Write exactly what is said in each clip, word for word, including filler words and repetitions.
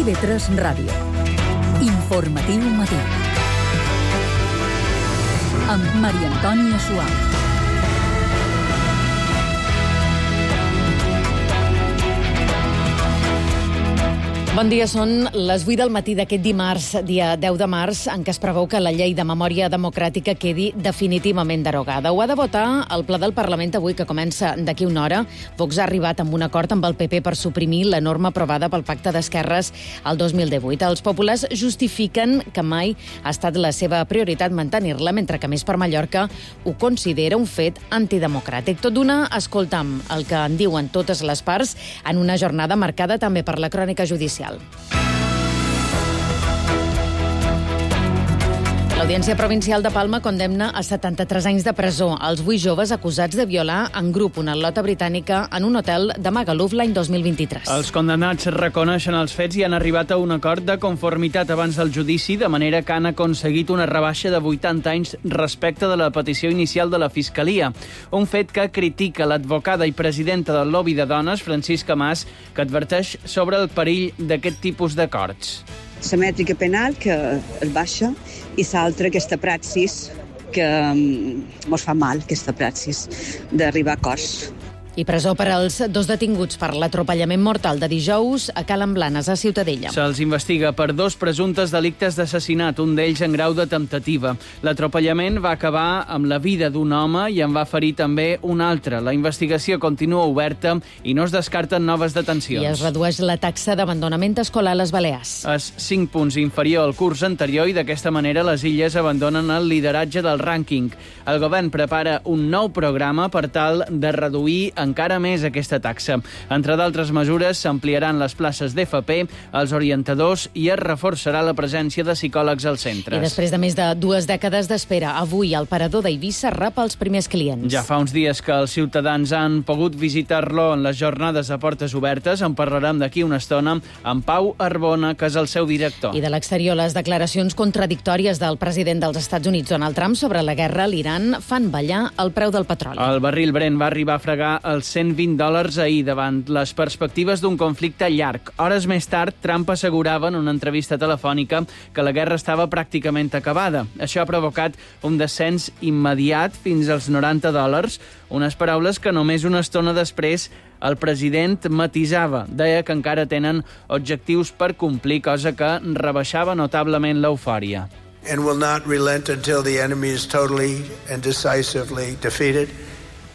T V tres Ràdio. Informatiu matí. Amb Maria Antònia Suau. Bon dia, són les vuit del matí d'aquest dimarts, dia deu de març, en què es preveu que la llei de memòria democràtica quedi definitivament derogada. Ho ha de votar el ple del Parlament avui, que comença d'aquí una hora. Vox ha arribat amb un acord amb el P P per suprimir la norma aprovada pel Pacte d'Esquerres el dos mil divuit. Els populars justifiquen que mai ha estat la seva prioritat mantenir-la, mentre que Més per Mallorca ho considera un fet antidemocràtic. Tot d'una, escoltam el que en diuen totes les parts en una jornada marcada també per la crònica judicial. L'Audiència Provincial de Palma condemna a setanta-tres anys de presó als vuit joves acusats de violar en grup una al·lota britànica en un hotel de Magaluf l'any dos mil vint-i-tres. Els condemnats reconeixen els fets i han arribat a un acord de conformitat abans del judici, de manera que han aconseguit una rebaixa de vuitanta anys respecte de la petició inicial de la Fiscalia. Un fet que critica l'advocada i presidenta del lobby de dones, Francisca Mas, que adverteix sobre el perill d'aquest tipus d'acords. La mètrica penal, que és baixa, i l'altra, aquesta praxis, que ens fa mal, aquesta praxis, d'arribar a acords. I presó per als dos detinguts per l'atropellament mortal de dijous a Calen Blanes, a Ciutadella. Se'ls investiga per dos presumptes delictes d'assassinat, un d'ells en grau de temptativa. L'atropellament va acabar amb la vida d'un home i en va ferir també un altre. La investigació continua oberta i no es descarten noves detencions. I es redueix la taxa d'abandonament escolar a les Balears. És cinc punts inferior al curs anterior i d'aquesta manera les illes abandonen el lideratge del rànquing. El govern prepara un nou programa per tal de reduir encara més aquesta taxa. Entre d'altres mesures, s'ampliaran les places d'F P, els orientadors i es reforçarà la presència de psicòlegs als centres. I després de més de dues dècades d'espera, avui el parador d'Eivissa rep els primers clients. Ja fa uns dies que els ciutadans han pogut visitar-lo en les jornades de portes obertes. En parlarem d'aquí una estona amb Pau Arbona, que és el seu director. I de l'exterior, les declaracions contradictòries del president dels Estats Units, Donald Trump, sobre la guerra a l'Iran fan ballar el preu del petroli. El barril Brent va arribar a fregar els cent vint dòlars ahir davant les perspectives d'un conflicte llarg. Hores més tard, Trump assegurava en una entrevista telefònica que la guerra estava pràcticament acabada. Això ha provocat un descens immediat fins als noranta dòlars, unes paraules que només una estona després el president matisava. Deia que encara tenen objectius per complir, cosa que rebaixava notablement l'eufòria. And will not relent until the enemy is totally and decisively defeated.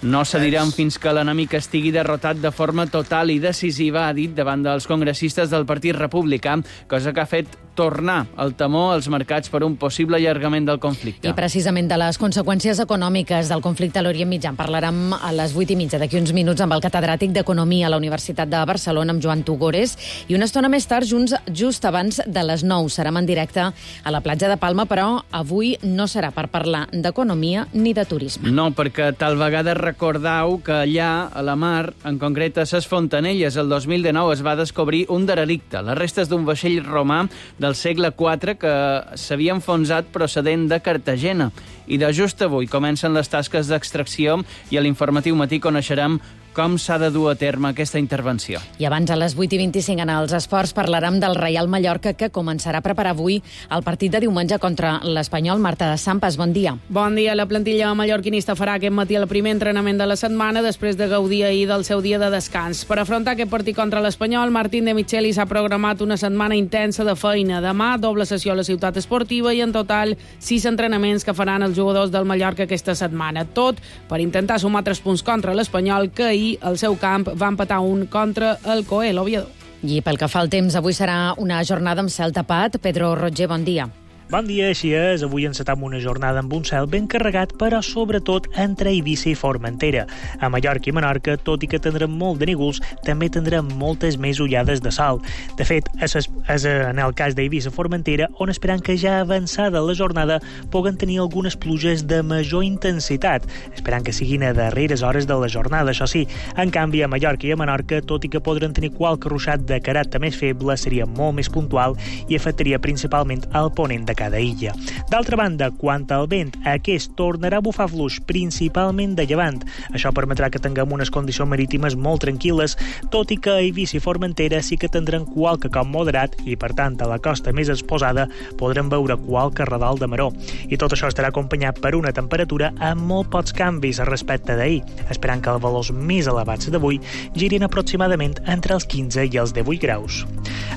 No cedirem fins que l'enemic estigui derrotat de forma total i decisiva, ha dit davant dels congressistes del Partit Republicà, cosa que ha fet tornar el temor als mercats per un possible allargament del conflicte. I precisament de les conseqüències econòmiques del conflicte a l'Orient Mitjà en parlarem a les vuit i mitja d'aquí uns minuts amb el catedràtic d'Economia a la Universitat de Barcelona, amb Joan Tugores, i una estona més tard, junts, just abans de les nou. Serem en directe a la platja de Palma, però avui no serà per parlar d'economia ni de turisme. No, perquè tal vegada recordeu que allà, a la mar, en concret a ses Fontanelles, el dos mil dinou es va descobrir un derelicte, les restes d'un vaixell romà del segle quatre que s'havia enfonsat procedent de Cartagena. I de just avui comencen les tasques d'extracció i a l'informatiu matí coneixerem com s'ha de dur a terme aquesta intervenció. I abans, a les vuit i vint-i-cinc, en els esports, parlarem del Reial Mallorca, que començarà a preparar avui el partit de diumenge contra l'Espanyol. Marta de Sampas, bon dia. Bon dia. La plantilla mallorquinista farà aquest matí el primer entrenament de la setmana després de gaudir ahir del seu dia de descans. Per afrontar aquest partit contra l'Espanyol, Martín de Micheli s'ha programat una setmana intensa de feina. Demà, doble sessió a la ciutat esportiva i en total sis entrenaments que faran els jugadors del Mallorca aquesta setmana. Tot per intentar sumar tres punts contra l'Espanyol, que ahir al seu camp va empatar un contra el Coel Oviedo. I pel que fa al temps, avui serà una jornada amb cel tapat. Pedro Roger, bon dia. Bon dia, així és. Avui encetam una jornada amb un cel ben carregat, però sobretot entre Eivissa i Formentera. A Mallorca i Menorca, tot i que tindrem molt de nígols, també tindrem moltes més ullades de sol. De fet, és, és en el cas d'Eivissa i Formentera, on esperant que ja avançada la jornada puguen tenir algunes pluges de major intensitat, esperant que siguin a darreres hores de la jornada, això sí. En canvi, a Mallorca i a Menorca, tot i que podran tenir qualque ruixat de caràcter més feble, seria molt més puntual i afectaria principalment al ponent de cada illa. D'altra banda, quant al vent, aquest tornarà a bufar fluix, principalment de llevant. Això permetrà que tinguem unes condicions marítimes molt tranquil·les, tot i que a Eivissa i Formentera sí que tindran qualque cop moderat i, per tant, a la costa més exposada podrem veure qualque radal de maró. I tot això estarà acompanyat per una temperatura amb molt pocs canvis respecte d'ahir, esperant que els valors més elevats d'avui girin aproximadament entre els quinze i els divuit graus.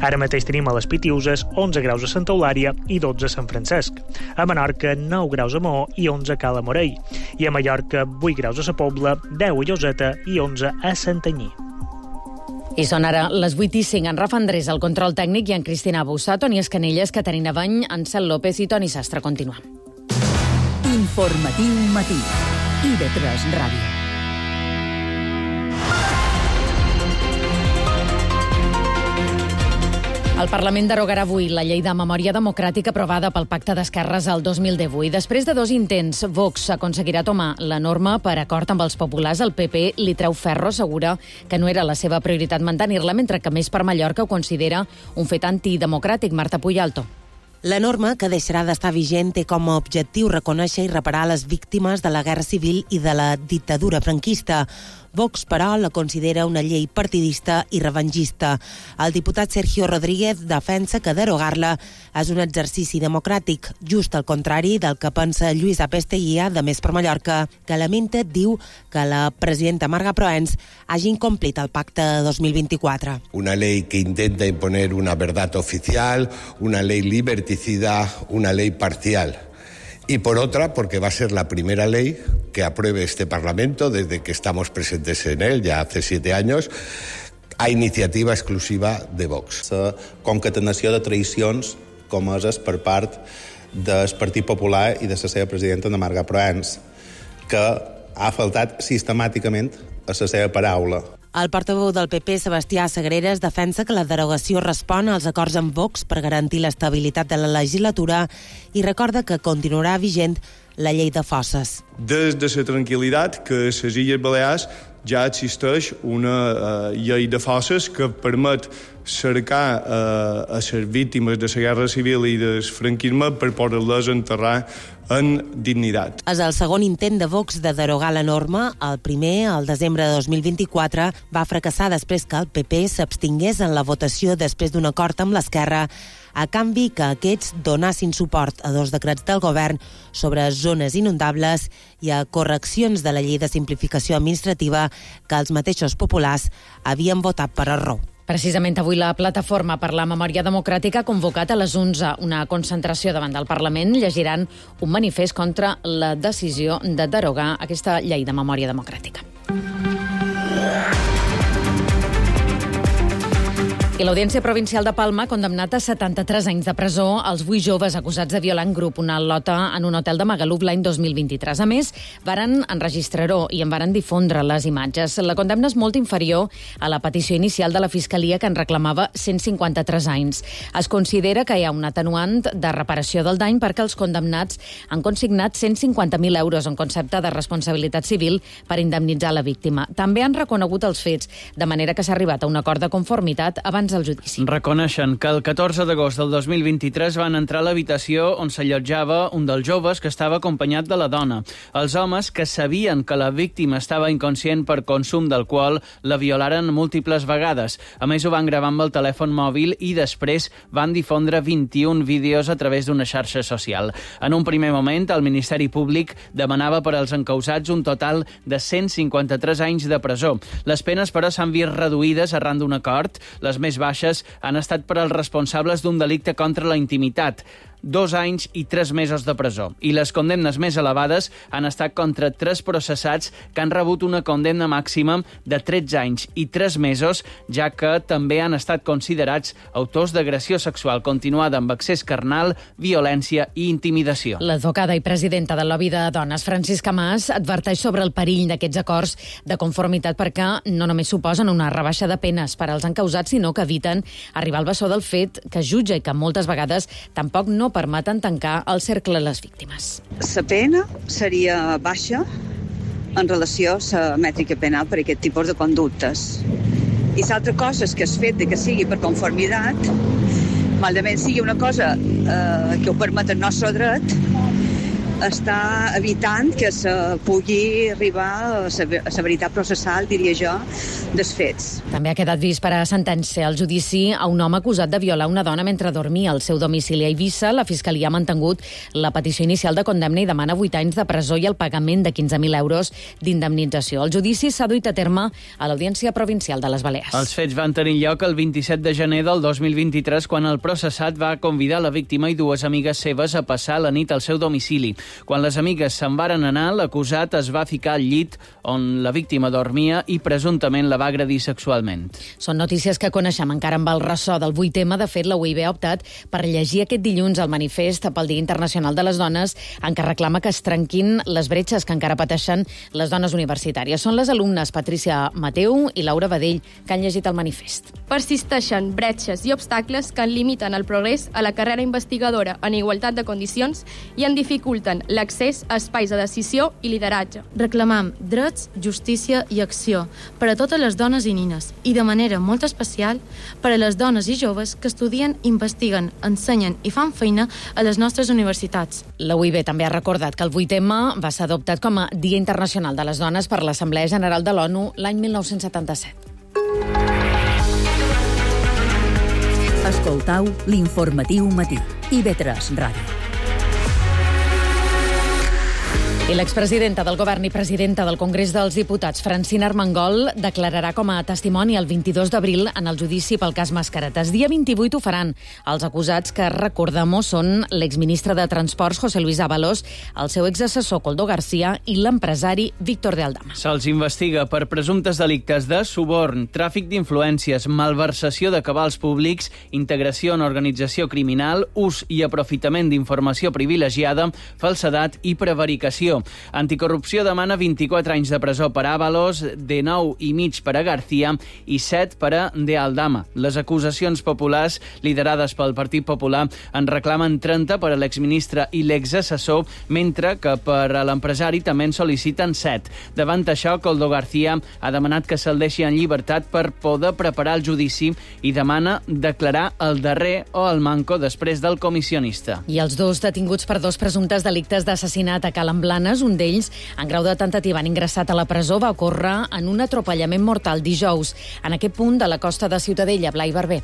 Ara mateix tenim a les Pitiuses onze graus a Santa Eulària i dotze a Sant Francesc. A Menorca, nou graus a Maó i onze a Cala Morell. I a Mallorca, vuit graus a Sa Pobla, deu a Lloseta i onze a Santanyí. I són ara les vuit i cinc. En Rafa Andrés, el control tècnic, i en Cristina Bussà, Toni Escanelles, Caterina Bany, Ansel López i Toni Sastre. Continua. Informatiu matí. I de tres Ràdio. El Parlament derogarà avui la llei de memòria democràtica aprovada pel Pacte d'Esquerres el dos mil divuit. Després de dos intents, Vox aconseguirà tomar la norma per acord amb els populars. El P P li treu ferro, assegura que no era la seva prioritat mantenir-la, mentre que Més per Mallorca ho considera un fet antidemocràtic. Marta Puyalto. La norma, que deixarà d'estar vigent, té com a objectiu reconèixer i reparar les víctimes de la guerra civil i de la dictadura franquista. Vox, però, la considera una llei partidista i revengista. El diputat Sergio Rodríguez defensa que derogar-la és un exercici democràtic, just al contrari del que pensa Lluïsa Pesteguía, de Més per Mallorca, que lamenta, diu, que la presidenta Marga Proens hagi incomplit el pacte de dos mil vint-i-quatre. Una ley que intenta imponer una verdad oficial, una ley liberticida, una ley parcial. Y por otra, porque va a ser la primera ley que apruebe este Parlamento desde que estamos presentes en él, ya hace siete años, a iniciativa exclusiva de Vox. La concatenació de traïcions comeses per part del Partit Popular i de la seva presidenta, Ana Marga Proens, que ha faltat sistemàticament a la seva paraula. El portaveu del P P, Sebastià Sagreras, defensa que la derogació respon als acords amb Vox per garantir l'estabilitat de la legislatura i recorda que continuarà vigent la llei de fosses. Des de la tranquil·litat que a les Illes Balears ja existeix una uh, llei de fosses que permet cercar uh, a les víctimes de la guerra civil i del franquisme per poder-les enterrar en dignitat. És el segon intent de Vox de derogar la norma. El primer, el desembre de dos mil vint-i-quatre, va fracassar després que el P P s'abstingués en la votació després d'un acord amb l'Esquerra, a canvi que aquests donassin suport a dos decrets del govern sobre zones inundables i a correccions de la llei de simplificació administrativa que els mateixos populars havien votat per error. Precisament avui la Plataforma per la Memòria Democràtica ha convocat a les onze una concentració davant del Parlament. Llegiran un manifest contra la decisió de derogar aquesta llei de memòria democràtica. I l'Audiència Provincial de Palma ha condemnat a setanta-tres anys de presó als vuit joves acusats de violar en grup una lota en un hotel de Magaluf l'any dos mil vint-i-tres. A més, varen enregistrar-ho i en varen difondre les imatges. La condemna és molt inferior a la petició inicial de la Fiscalia, que en reclamava cent cinquanta-tres anys. Es considera que hi ha un atenuant de reparació del dany perquè els condemnats han consignat cent cinquanta mil euros en concepte de responsabilitat civil per indemnitzar la víctima. També han reconegut els fets, de manera que s'ha arribat a un acord de conformitat abans del judici. Reconeixen que el catorze d'agost del dos mil vint-i-tres van entrar a l'habitació on s'allotjava un dels joves que estava acompanyat de la dona. Els homes, que sabien que la víctima estava inconscient per consum d'alcohol, la violaren múltiples vegades. A més, ho van gravar amb el telèfon mòbil i després van difondre vint-i-un vídeos a través d'una xarxa social. En un primer moment, el Ministeri Públic demanava per als encausats un total de cent cinquanta-tres anys de presó. Les penes, però, s'han vist reduïdes arran d'un acord. Les més baixes han estat per als responsables d'un delicte contra la intimitat, dos anys i tres mesos de presó. I les condemnes més elevades han estat contra tres processats que han rebut una condemna màxima de tretze anys i tres mesos, ja que també han estat considerats autors d'agressió sexual continuada amb accés carnal, violència i intimidació. L'advocada i presidenta del lobby de dones, Francisca Mas, adverteix sobre el perill d'aquests acords de conformitat perquè no només suposen una rebaixa de penes per als encausats, sinó que eviten arribar al bessó del fet que jutja i que moltes vegades tampoc no permeten tancar el cercle de les víctimes. La pena seria baixa en relació a la mètrica penal per aquest tipus de conductes. I l'altra cosa és que el fet de que sigui per conformitat malament sigui una cosa eh, que ho permet el nostre dret, està evitant que se pugui arribar a la veritat processal, diria jo, dels fets. També ha quedat vist per a sentència el judici a un home acusat de violar una dona mentre dormia al seu domicili a Eivissa. La Fiscalia ha mantingut la petició inicial de condemna i demana vuit anys de presó i el pagament de quinze mil euros d'indemnització. El judici s'ha duit a terme a l'Audiència Provincial de les Balears. Els fets van tenir lloc el vint-i-set de gener del dos mil vint-i-tres, quan el processat va convidar la víctima i dues amigues seves a passar la nit al seu domicili. Quan les amigues se'n varen anar, l'acusat es va ficar al llit on la víctima dormia i presumptament la va agredir sexualment. Són notícies que coneixem encara amb el ressò del vuit eme. De fet, la U I B ha optat per llegir aquest dilluns el manifest pel Dia Internacional de les Dones, en què reclama que es trenquin les bretxes que encara pateixen les dones universitàries. Són les alumnes Patricia Mateu i Laura Badell que han llegit el manifest. Persisteixen bretxes i obstacles que en limiten el progrés a la carrera investigadora en igualtat de condicions i en dificulten l'accés a espais de decisió i lideratge. Reclamam drets, justícia i acció per a totes les dones i nines i, de manera molt especial, per a les dones i joves que estudien, investiguen, ensenyen i fan feina a les nostres universitats. La U I B també ha recordat que el vuit eme va ser adoptat com a Dia Internacional de les Dones per l'Assemblea General de l'ONU l'any mil nou-cents setanta-set. Escoltau l'informatiu matí. I ve tres Ràdio. I l'expresidenta del Govern i presidenta del Congrés dels Diputats, Francina Armengol, declararà com a testimoni el vint-i-dos d'abril en el judici pel cas Mascaretes. Dia vint-i-vuit ho faran els acusats, que, recordem-ho, són l'exministre de Transports, José Luis Ábalos, el seu exassessor, Koldo García, i l'empresari Víctor de Aldama. Se'ls investiga per presumptes delictes de suborn, tràfic d'influències, malversació de cabals públics, integració en organització criminal, ús i aprofitament d'informació privilegiada, falsedat i prevaricació. Anticorrupció demana vint-i-quatre anys de presó per a Ábalos, de nou i mig per a García i set per a De Aldama. Les acusacions populars, liderades pel Partit Popular, en reclamen trenta per a l'exministre i l'exassessor, mentre que per a l'empresari també en sol·liciten set. Davant això, Koldo García ha demanat que se'l deixi en llibertat per poder preparar el judici i demana declarar el darrer o el manco després del comissionista. I els dos detinguts per dos presumptes delictes d'assassinat a Cala en Blanes, un d'ells, en grau de temptativa, han ingressat a la presó, va ocórrer en un atropellament mortal dijous en aquest punt de la costa de Ciutadella. Blai Barber.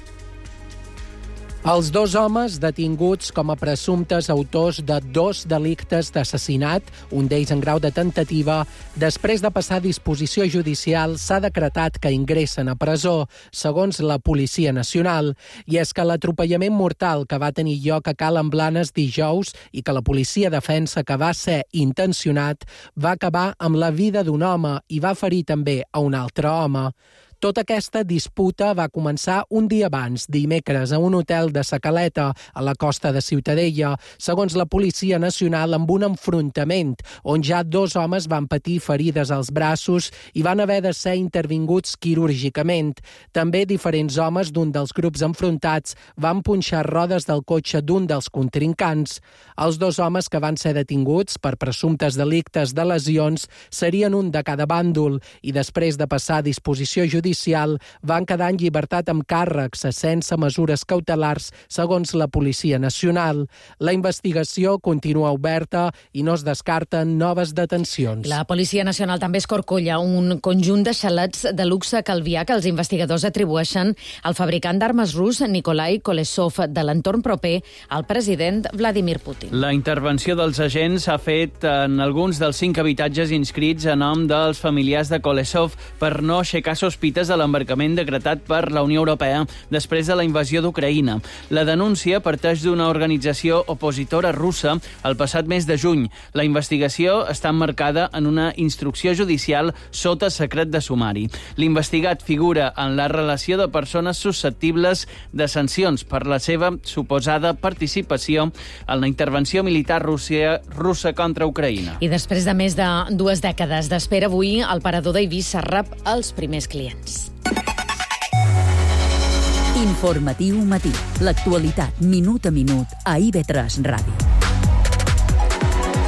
Els dos homes detinguts com a presumptes autors de dos delictes d'assassinat, un d'ells en grau de temptativa, després de passar a disposició judicial, s'ha decretat que ingressen a presó, segons la Policia Nacional. I és que l'atropellament mortal que va tenir lloc a Cala en Blanes dijous i que la policia defensa que va ser intencionat, va acabar amb la vida d'un home i va ferir també a un altre home. Tota aquesta disputa va començar un dia abans, dimecres, a un hotel de Sa Caleta, a la costa de Ciutadella, segons la Policia Nacional, amb un enfrontament on ja dos homes van patir ferides als braços i van haver de ser intervinguts quirúrgicament. També diferents homes d'un dels grups enfrontats van punxar rodes del cotxe d'un dels contrincants. Els dos homes que van ser detinguts per presumptes delictes de lesions serien un de cada bàndol i després de passar a disposició judicial van quedar en llibertat amb càrrecs sense mesures cautelars, segons la Policia Nacional. La investigació continua oberta i no es descarten noves detencions. La Policia Nacional també escorcolla un conjunt de xalets de luxe a Calvià que els investigadors atribueixen al fabricant d'armes rus Nikolai Kolesov, de l'entorn proper al president Vladimir Putin. La intervenció dels agents s'ha fet en alguns dels cinc habitatges inscrits a nom dels familiars de Kolesov per no aixecar sospites de l'embarcament decretat per la Unió Europea després de la invasió d'Ucraïna. La denúncia parteix d'una organització opositora russa el passat mes de juny. La investigació està emmarcada en una instrucció judicial sota secret de sumari. L'investigat figura en la relació de persones susceptibles de sancions per la seva suposada participació en la intervenció militar russa, russa contra Ucraïna. I després de més de dues dècades d'espera, avui el parador d'Eivissa rep els primers clients. Informatiu matí. L'actualitat minut a minut a I V tres Ràdio.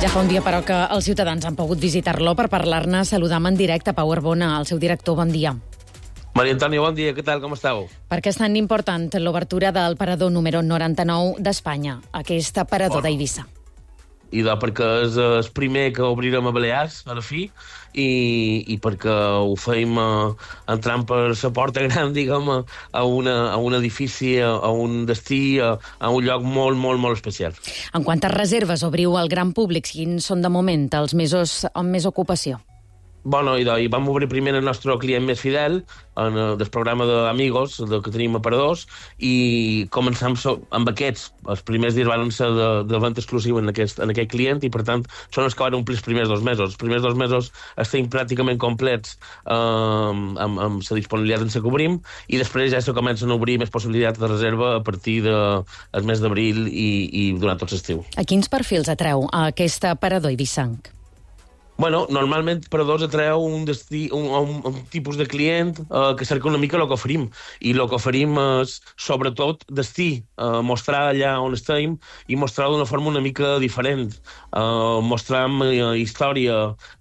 Ja fa un dia, però, que els ciutadans han pogut visitar-lo per parlar-ne. Saludam en directe Pau Arbona, el seu director. Bon dia. Maria Antònia, bon dia, què tal, com esteu? Per què és tan important l'obertura del parador número noranta-nou d'Espanya, aquest parador bueno, d'Eivissa? I de, perquè és el primer que obrirem a Balears, a la fi, i, i perquè ho feim uh, entrant per la porta gran, diguem, a, una, a un edifici, a, a un destí, a, a un lloc molt, molt, molt especial. En quantes reserves obriu al gran públic? Quins són de moment els mesos amb més ocupació? Bueno, i, de, i vam obrir primer el nostre client més fidel, en el del programa d'Amigos, de, que tenim a Paradors, i començam so, amb aquests. Els primers dies van ser de, de venda exclusiva en aquest, en aquest client, i per tant són els que van omplir els primers dos mesos. Els primers dos mesos estem pràcticament complets eh, amb, amb la disponibilitat en què cobrim, i després ja se comencen a obrir més possibilitats de reserva a partir del de, mes d'abril i, i durant tot l'estiu. A quins perfils atreu a aquesta parador eivissenc? Bueno, normalment Paradors atreu un, destí, un, un, un tipus de client eh, que cerca una mica el que oferim. I el que oferim és, sobretot, destí. Eh, mostrar allà on estem i mostrar d'una forma una mica diferent. Eh, mostram eh, història,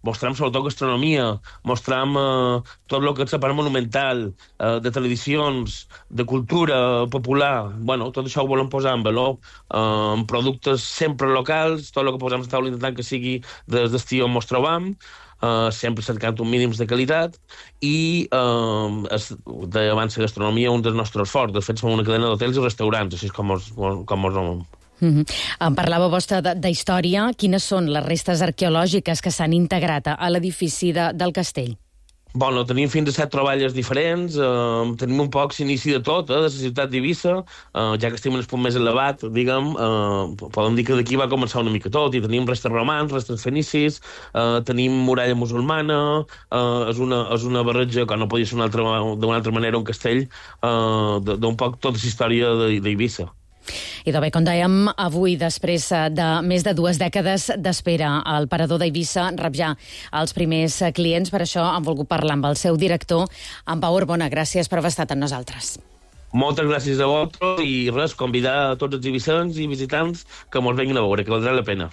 mostram sobretot gastronomia, mostram eh, tot el que és la part monumental, eh, de tradicions, de cultura popular. Bueno, tot això ho volem posar en valor, eh, amb productes sempre locals, tot el que posem a taula intentant que sigui des destí on mostrem, Uh, sempre cercant un mínims de qualitat i uh, es, de, abans la gastronomia un dels nostres forts. De fet, som una cadena d'hotels i restaurants, així com us, com us nom. Mm-hmm. Em parlava vostra de, de història. Quines són les restes arqueològiques que s'han integrat a l'edifici de, del castell? Bueno, tenim fins a set troballes diferents, eh, tenim un poc l'inici de tot, eh, de la ciutat d'Eivissa, eh, ja que estem en el punt més elevat, diguem, eh, podem dir que d'aquí va començar una mica tot, i tenim restes romans, restes fenicis, eh, tenim muralla musulmana, eh, és, una, és una barreja que no podia ser d'una altra, altra manera un castell, eh, d'un poc tota la història d'Eivissa. I de bé, com dèiem, avui, després de més de dues dècades d'espera, al parador d'Eivissa rep ja els primers clients. Per això hem volgut parlar amb el seu director, en Pau Arbona. Gràcies per haver estat amb nosaltres. Moltes gràcies a vosaltres i res, convidar a tots els eivissens i visitants que mos venguin a veure, que valdrà la pena.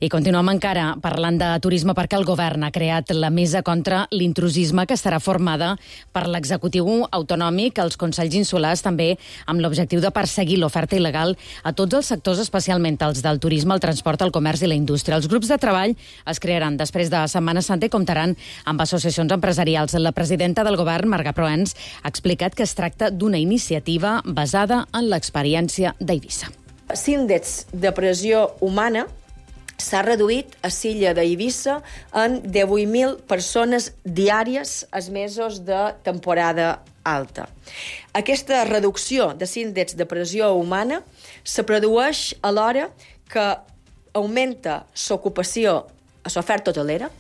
I continuem encara parlant de turisme perquè el govern ha creat la Mesa contra l'Intrusisme, que estarà formada per l'executiu autonòmic, els consells insulars, també amb l'objectiu de perseguir l'oferta il·legal a tots els sectors, especialment els del turisme, el transport, el comerç i la indústria. Els grups de treball es crearan després de Setmana Santa i comptaran amb associacions empresarials. La presidenta del govern, Marga Proens, ha explicat que es tracta d'una iniciativa basada en l'experiència d'Eivissa. L'índex de pressió humana s'ha reduït a l'illa d'Eivissa en divuit mil persones diàries als mesos de temporada alta. Aquesta reducció de l'índex de pressió humana se produeix alhora que augmenta l'ocupació a l'oferta hotelera,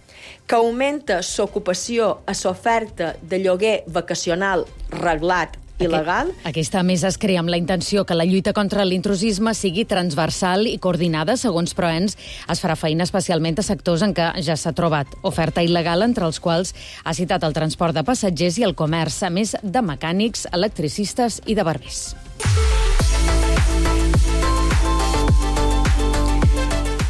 que augmenta l'ocupació a l'oferta de lloguer vacacional reglat il·legal. Aquesta mesa es crea amb la intenció que la lluita contra l'intrusisme sigui transversal i coordinada. Segons Proens, es farà feina especialment a sectors en què ja s'ha trobat oferta il·legal, entre els quals ha citat el transport de passatgers i el comerç, a més de mecànics, electricistes i de barbers.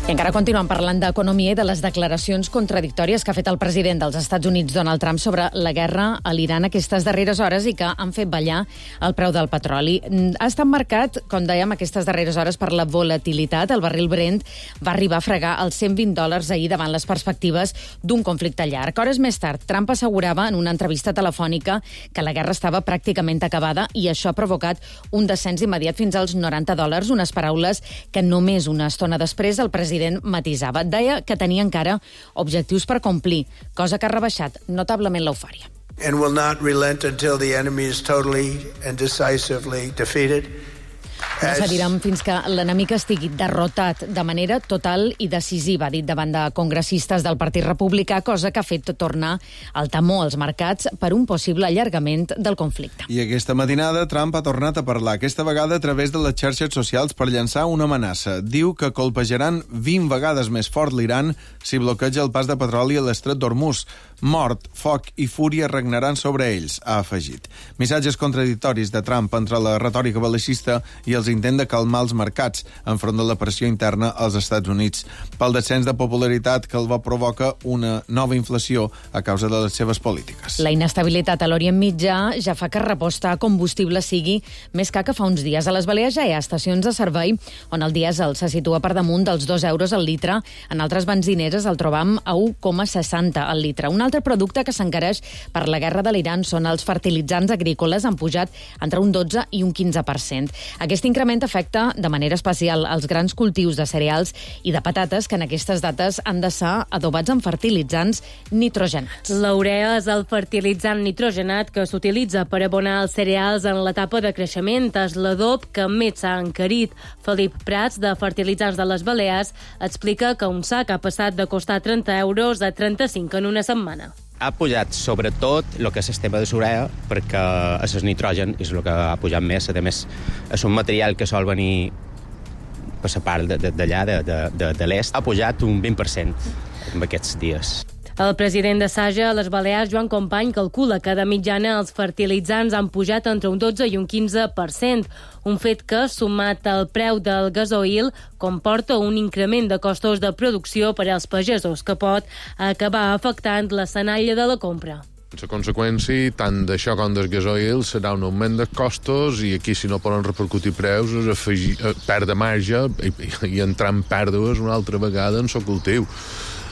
I encara continuem parlant d'economia i de les declaracions contradictòries que ha fet el president dels Estats Units, Donald Trump, sobre la guerra a l'Iran aquestes darreres hores i que han fet ballar el preu del petroli. Ha estat marcat, com dèiem, aquestes darreres hores per la volatilitat. El barril Brent va arribar a fregar els cent vint dòlars ahir davant les perspectives d'un conflicte llarg. Hores més tard, Trump assegurava en una entrevista telefònica que la guerra estava pràcticament acabada i això ha provocat un descens immediat fins als noranta dòlars, unes paraules que només una estona després el president matisava. Deia que tenia encara objectius per complir, cosa que ha rebaixat notablement l'eufòria. And will not relent until the enemy is totally and decisively defeated. No cedirem fins que l'enemic estigui derrotat de manera total i decisiva, ha dit davant de congressistes del Partit Republicà, cosa que ha fet tornar el temor als mercats per un possible allargament del conflicte. I aquesta matinada Trump ha tornat a parlar, aquesta vegada a través de les xarxes socials, per llançar una amenaça. Diu que colpejaran vint vegades més fort l'Iran si bloqueja el pas de petroli a l'estret d'Hormuz. Mort, foc i fúria regnaran sobre ells, ha afegit. Missatges contradictoris de Trump entre la retòrica bel·licista i els pels intents de calmar els mercats enfront de la pressió interna als Estats Units, pel descens de popularitat que el va provoca una nova inflació a causa de les seves polítiques. La inestabilitat a l'Orient Mitjà ja fa que repostar combustible sigui més car que fa uns dies. A les Balears ja hi ha estacions de servei on el dièsel se situa per damunt dels dos euros al litre. En altres benzineres el trobam a u coma seixanta al litre. Un altre producte que s'encareix per la guerra de l'Iran són els fertilitzants agrícoles, han pujat entre un dotze i un quinze per cent. Aquest increment afecta de manera especial els grans cultius de cereals i de patates, que en aquestes dates han de ser adobats amb fertilitzants nitrogenats. L'urea és el fertilitzant nitrogenat que s'utilitza per abonar els cereals en l'etapa de creixement. És l'adob que més s'ha encarit. Felip Prats, de Fertilitzants de les Balears, explica que un sac ha passat de costar trenta euros a trenta-cinc en una setmana. Ha pujat sobretot el que és el tema de l'urea, perquè el nitrogen és el que ha pujat més. A més, és un material que sol venir per la part d'allà, de, de, de, de l'est. Ha pujat un vint per cent en aquests dies. El president de Saja a les Balears, Joan Company, calcula que de mitjana els fertilitzants han pujat entre un dotze i un quinze per cent, un fet que, sumat al preu del gasoil, comporta un increment de costos de producció per als pagesos, que pot acabar afectant l'escenari de la compra. La conseqüència, tant d'això com del gasoil, serà un augment de costos i aquí, si no poden repercutir preus, és afegir, perdre marge i, i entrar en pèrdues una altra vegada en el cultiu.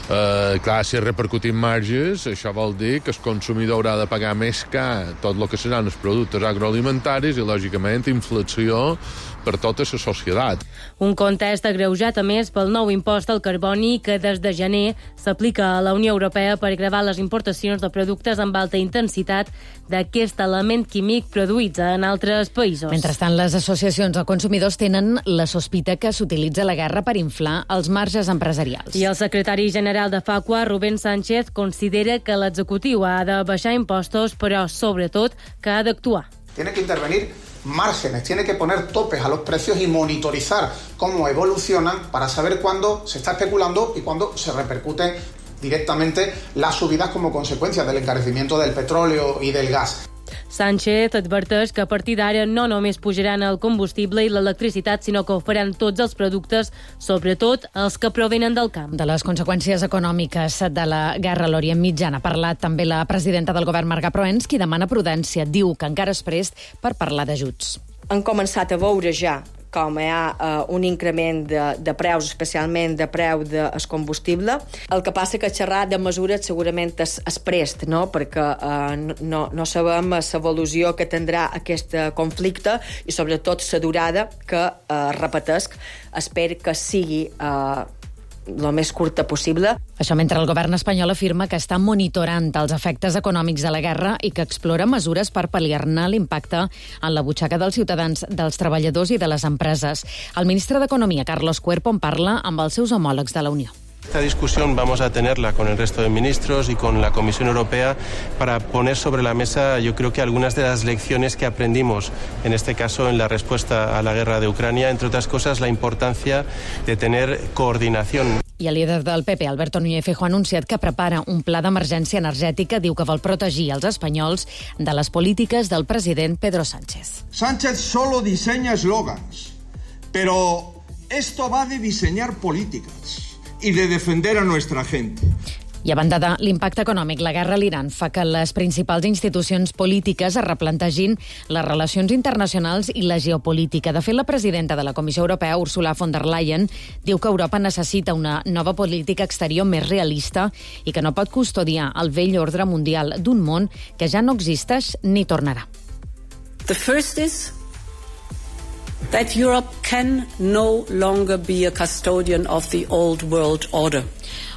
Uh, clar, si repercutim marges, això vol dir que el consumidor haurà de pagar més car tot el que seran els productes agroalimentaris i, lògicament, inflació per tota la societat. Un context agreujat, a més, pel nou impost al carboni que des de gener s'aplica a la Unió Europea per gravar les importacions de productes amb alta intensitat d'aquest element químic produïts en altres països. Mentrestant, les associacions de consumidors tenen la sospita que s'utilitza la guerra per inflar els marges empresarials. I el secretari general de Facua, Rubén Sánchez, considera que l'executiu ha de baixar impostos, però, sobretot, que ha d'actuar. Tiene que intervenir márgenes, tiene que poner topes a los precios y monitorizar cómo evolucionan para saber cuándo se está especulando y cuándo se repercuten directamente las subidas como consecuencia del encarecimiento del petróleo y del gas. Sánchez adverteix que a partir d'ara no només pujaran el combustible i l'electricitat, sinó que ho faran tots els productes, sobretot els que provenen del camp. De les conseqüències econòmiques de la guerra a l'Orient Mitjà ha parlat també la presidenta del govern, Marga Proens, qui demana prudència. Diu que encara és prest per parlar d'ajuts. Han començat a veure ja com hi ha uh, un increment de, de preus, especialment de preu del combustible. El que passa que xerrar de mesures segurament és, és prest, no? Perquè uh, no, no sabem l'evolució que tindrà aquest conflicte i sobretot la durada que, uh, repetesc, espero que sigui uh, el més curta possible. Això mentre el govern espanyol afirma que està monitorant els efectes econòmics de la guerra i que explora mesures per pal·liar-ne l'impacte en la butxaca dels ciutadans, dels treballadors i de les empreses. El ministre d'Economia, Carlos Cuerpo, en parla amb els seus homòlegs de la Unió. Esta discusión vamos a tenerla con el resto de ministros y con la Comisión Europea para poner sobre la mesa, yo creo que algunas de las lecciones que aprendimos, en este caso en la respuesta a la guerra de Ucrania, entre otras cosas la importancia de tener coordinación. I el líder del P P, Alberto Núñez Feijóo, ha anunciat que prepara un pla d'emergència energètica. Diu que vol protegir els espanyols de les polítiques del president Pedro Sánchez. Sánchez solo diseña eslogans, pero esto va de diseñar políticas y de defender a nuestra gente. I a banda de l'impacte econòmic, la guerra a l'Iran fa que les principals institucions polítiques es replantegin les relacions internacionals i la geopolítica. De fet, la presidenta de la Comissió Europea, Ursula von der Leyen, diu que Europa necessita una nova política exterior més realista i que no pot custodiar el vell ordre mundial d'un món que ja no existeix ni tornarà. The first is that Europe can no longer be a custodian of the old world order.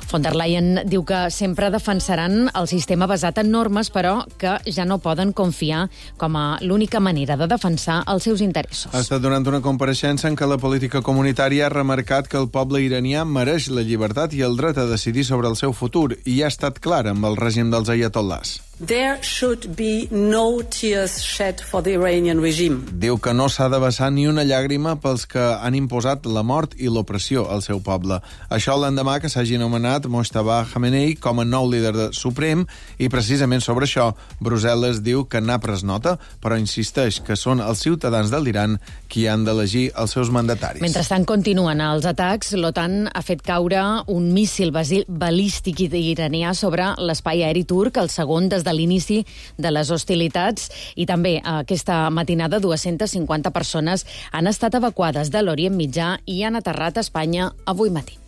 Von der Leyen diu que sempre defensaran el sistema basat en normes, però que ja no poden confiar com a l'única manera de defensar els seus interessos. Ha estat durant una compareixença en què la política comunitària ha remarcat que el poble iranià mereix la llibertat i el dret a decidir sobre el seu futur i ha estat clar amb el règim dels ayatollahs. There should be no tears shed for the Iranian regime. Diu que no s'ha de vessar ni una llàgrima pels que han imposat la mort i l'opressió al seu poble. Això l'endemà que s'hagi nomenat Mojtaba Khamenei com a nou líder suprem i precisament sobre això Brussel·les diu que n'ha pres nota, però insisteix que són els ciutadans de l'Iran qui han d'elegir els seus mandataris. Mentrestant continuen els atacs, l'OTAN ha fet caure un míssil balístic iranià sobre l'espai aeri turc, el segon des de l'inici de les hostilitats, i també aquesta matinada dues-centes cinquanta persones han estat evacuades de l'Orient Mitjà i han aterrat a Espanya avui matí.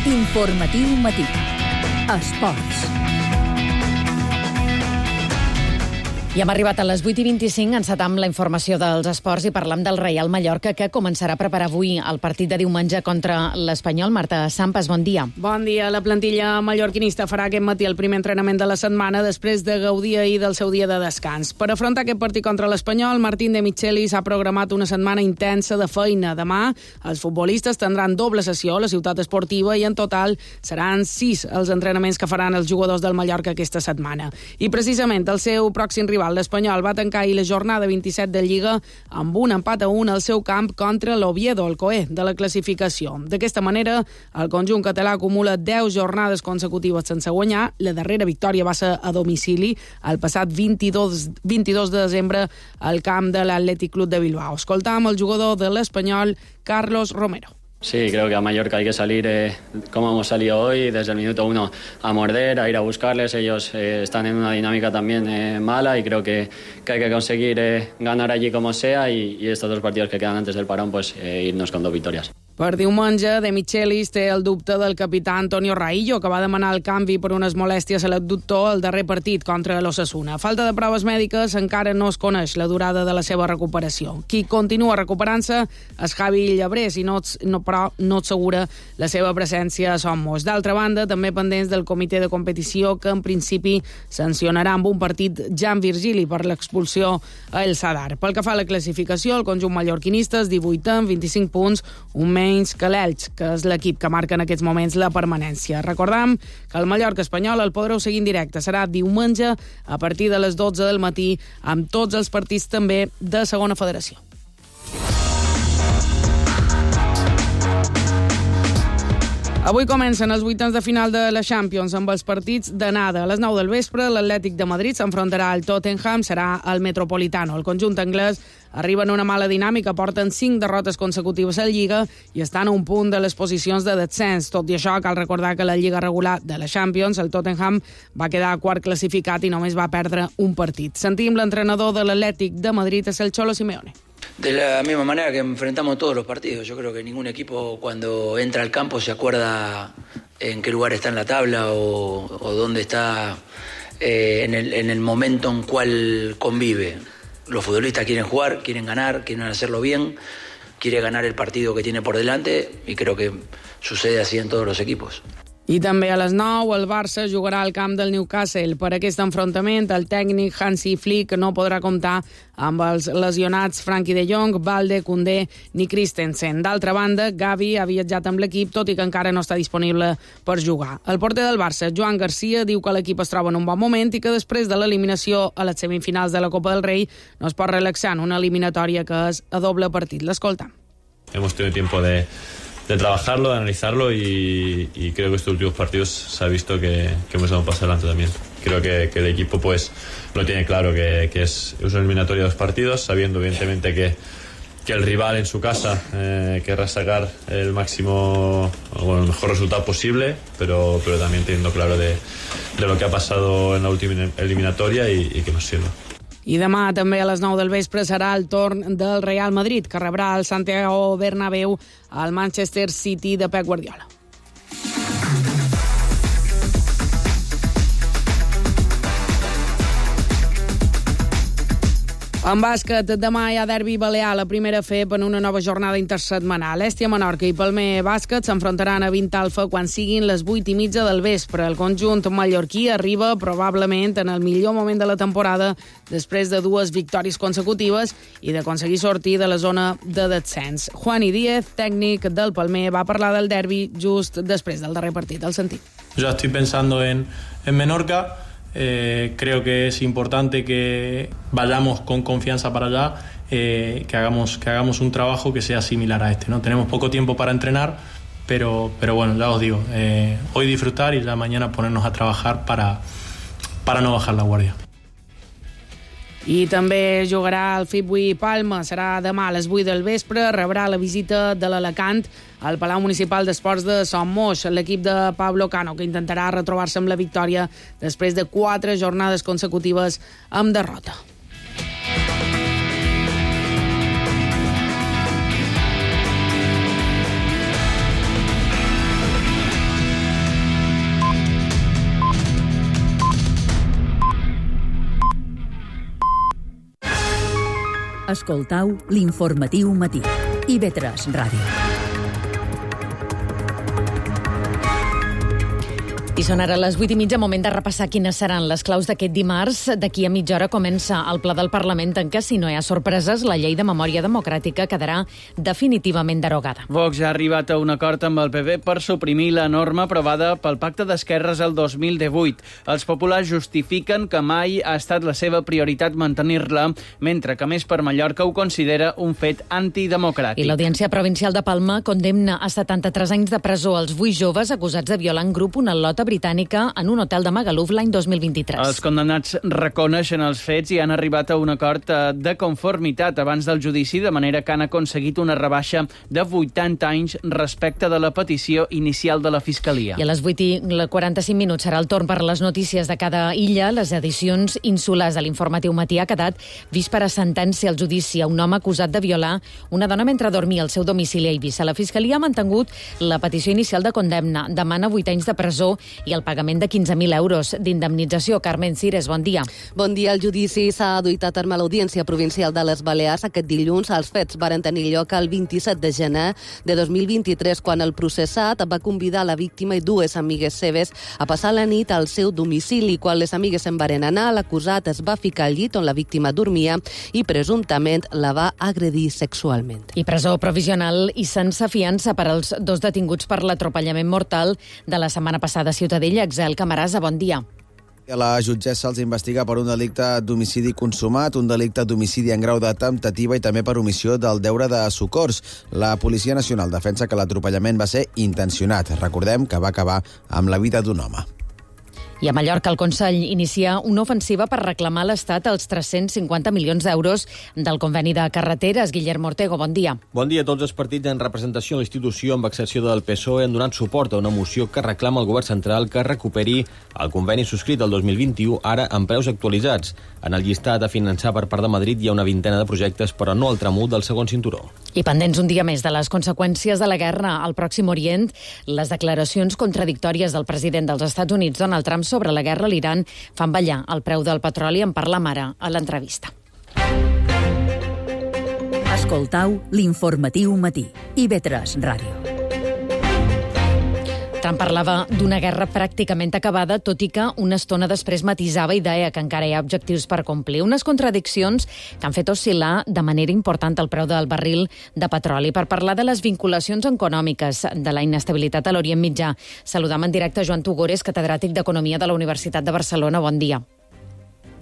Informatiu matí. Esports. I hem arribat a les vuit i vint-i-cinc, encetam la informació dels esports i parlam del Reial Mallorca, que començarà a preparar avui el partit de diumenge contra l'Espanyol. Marta Sampas, bon dia. Bon dia. La plantilla mallorquinista farà aquest matí el primer entrenament de la setmana després de gaudir ahir del seu dia de descans. Per afrontar aquest partit contra l'Espanyol, Martín de Michelis ha programat una setmana intensa de feina. Demà els futbolistes tindran doble sessió a la ciutat esportiva i en total seran sis els entrenaments que faran els jugadors del Mallorca aquesta setmana. I precisament el seu pròxim rival, l'Espanyol, va tancar ahir la jornada vint-i-set de Lliga amb un empat a un al seu camp contra l'Oviedo, el coer de la classificació. D'aquesta manera, el conjunt català acumula deu jornades consecutives sense guanyar. La darrera victòria va ser a domicili el passat vint-i-dos de desembre al camp de l'Atlètic Club de Bilbao. Escoltam el jugador de l'Espanyol, Carlos Romero. Sí, creo que a Mallorca hay que salir eh, como hemos salido hoy, desde el minuto uno a morder, a ir a buscarles. Ellos eh, están en una dinámica también eh, mala y creo que, que hay que conseguir eh, ganar allí como sea y, y estos dos partidos que quedan antes del parón, pues eh, irnos con dos victorias. Per diumenge, De Michelis té el dubte del capità Antonio Raillo, que va demanar el canvi per unes molèsties a l'abductor al darrer partit contra l'Osasuna. Falta de proves mèdiques, encara no es coneix la durada de la seva recuperació. Qui continua recuperant-se és Javi Llabrés, i no, no, però no assegura la seva presència a Somos. D'altra banda, també pendents del comitè de competició, que en principi sancionarà amb un partit Jan Virgili per l'expulsió a El Sadar. Pel que fa a la classificació, el conjunt mallorquinista és divuit amb vint-i-cinc punts, un menys que l'Elx, que és l'equip que marca en aquests moments la permanència. Recordam que el Mallorca espanyol el podreu seguir en directe. Serà diumenge a partir de les dotze del matí amb tots els partits també de segona federació. Avui comencen els vuitens de final de la Champions amb els partits d'anada. A les nou del vespre, l'Atlètic de Madrid s'enfrontarà al Tottenham, serà al Metropolitano. El conjunt anglès arriba en una mala dinàmica, porten cinc derrotes consecutives a la Lliga i estan a un punt de les posicions de descens. Tot i això, cal recordar que la Lliga regular de la Champions, el Tottenham, va quedar quart classificat i només va perdre un partit. Sentim l'entrenador de l'Atlètic de Madrid, és el Cholo Simeone. De la misma manera que enfrentamos todos los partidos. Yo creo que ningún equipo cuando entra al campo se acuerda en qué lugar está en la tabla o, o dónde está eh, en, el, en el momento en cual convive. Los futbolistas quieren jugar, quieren ganar, quieren hacerlo bien, quieren ganar el partido que tiene por delante y creo que sucede así en todos los equipos. I també a les nou el Barça jugarà al camp del Newcastle. Per aquest enfrontament, el tècnic Hansi Flick no podrà comptar amb els lesionats Frenkie de Jong, Balde, Koundé ni Christensen. D'altra banda, Gavi ha viatjat amb l'equip, tot i que encara no està disponible per jugar. El porter del Barça, Joan Garcia, diu que l'equip es troba en un bon moment i que després de l'eliminació a les semifinals de la Copa del Rei no es pot relaxar en una eliminatòria que és a doble partit. L'escoltam. Hemos tenido tiempo de... de trabajarlo, de analizarlo y, y creo que estos últimos partidos se ha visto que, que hemos dado un paso adelante también. Creo que, que el equipo pues lo tiene claro que, que es, es una eliminatoria de dos partidos, sabiendo evidentemente que, que el rival en su casa eh, querrá sacar el máximo, bueno, el mejor resultado posible, pero, pero también teniendo claro de, de lo que ha pasado en la última eliminatoria y, y que nos sirva. I demà també a les nou del vespre serà el torn del Real Madrid, que rebrà al Santiago Bernabéu al Manchester City de Pep Guardiola. En bàsquet, demà hi ha derbi balear a la primera F E P en una nova jornada intersetmanal. Estia Menorca i Palmer Bàsquet s'enfrontaran a vint Alfa quan siguin les vuit i mitja del vespre. El conjunt mallorquí arriba probablement en el millor moment de la temporada després de dues victòries consecutives i d'aconseguir sortir de la zona de descens. Juani Díez, tècnic del Palmer, va parlar del derbi just després del darrer partit. El sentit. Yo estoy pensando en, en Menorca. Eh, creo que es importante que vayamos con confianza para allá, eh, que hagamos que hagamos un trabajo que sea similar a este, ¿no? Tenemos poco tiempo para entrenar, pero, pero bueno, ya os digo, eh, hoy disfrutar y ya mañana ponernos a trabajar para, para no bajar la guardia. I també jugarà el Fitbuy Palma. Serà demà a les vuit del vespre. Rebrà la visita de l'Alacant al Palau Municipal d'Esports de Son Moix, l'equip de Pablo Cano, que intentarà retrobar-se amb la victòria després de quatre jornades consecutives amb derrota. Escoltau l'informatiu matí. I ve tres Ràdio. I són ara les vuit i mitja, moment de repassar quines seran les claus d'aquest dimarts. D'aquí a mitja hora comença el ple del Parlament en què, si no hi ha sorpreses, la llei de memòria democràtica quedarà definitivament derogada. Vox ha arribat a un acord amb el P P per suprimir la norma aprovada pel Pacte d'Esquerres el dos mil divuit. Els populars justifiquen que mai ha estat la seva prioritat mantenir-la, mentre que més per Mallorca ho considera un fet antidemocràtic. I l'Audiència Provincial de Palma condemna a setanta-tres anys de presó als vuit joves acusats de violar en grup una lota britànica en un hotel de Magaluf l'any dos mil vint-i-tres. Els condemnats reconeixen els fets i han arribat a un acord de conformitat abans del judici, de manera que han aconseguit una rebaixa de vuitanta anys respecte de la petició inicial de la Fiscalia. I a les vuit i quaranta-cinc minuts serà el torn per les notícies de cada illa. Les edicions insulars de l'informatiu matí ha quedat vist per a sentència al judici a un home acusat de violar una dona mentre dormia al seu domicili a Eivissa. La Fiscalia ha mantingut la petició inicial de condemna. Demana vuit anys de presó i el pagament de quinze mil euros d'indemnització. Carmen Cires, bon dia. Bon dia. El judici s'ha duit a terme a l'Audiència Provincial de les Balears aquest dilluns. Els fets varen tenir lloc el vint-i-set de gener de dos mil vint-i-tres, quan el processat va convidar la víctima i dues amigues seves a passar la nit al seu domicili. Quan les amigues se'n varen anar, l'acusat es va ficar al llit on la víctima dormia i presumptament la va agredir sexualment. I presó provisional i sense fiança per als dos detinguts per l'atropellament mortal de la setmana passada a Ciutadella. Excel Camarasa, bon dia. A la jutgessa els investiga per un delicte d'homicidi consumat, un delicte d'homicidi en grau de temptativa i també per omissió del deure de socors. La Policia Nacional defensa que l'atropellament va ser intencionat. Recordem que va acabar amb la vida d'un home. I a Mallorca el Consell inicia una ofensiva per reclamar a l'Estat els tres-cents cinquanta milions d'euros del conveni de carreteres. Guillermo Ortego, bon dia. Bon dia. Tots els partits en representació a la institució, amb excepció del P S O E, han donat suport a una moció que reclama al govern central que recuperi el conveni subscrit el dos mil vint-i-u, ara amb preus actualitzats. En el llistat a finançar per part de Madrid hi ha una vintena de projectes, però no el tram u del segon cinturó. I pendents un dia més de les conseqüències de la guerra al Pròxim Orient, les declaracions contradictòries del president dels Estats Units, Donald Trump, sobre la guerra a l'Iran fan ballar el preu del petroli. En parla ara a l'entrevista. Escoltau l'informatiu matí. I ve tres Ràdio. Trump parlava d'una guerra pràcticament acabada, tot i que una estona després matisava i deia que encara hi ha objectius per complir. Unes contradiccions que han fet oscil·lar de manera important el preu del barril de petroli. Per parlar de les vinculacions econòmiques de la inestabilitat a l'Orient Mitjà, saludam en directe Joan Tugores, catedràtic d'Economia de la Universitat de Barcelona. Bon dia.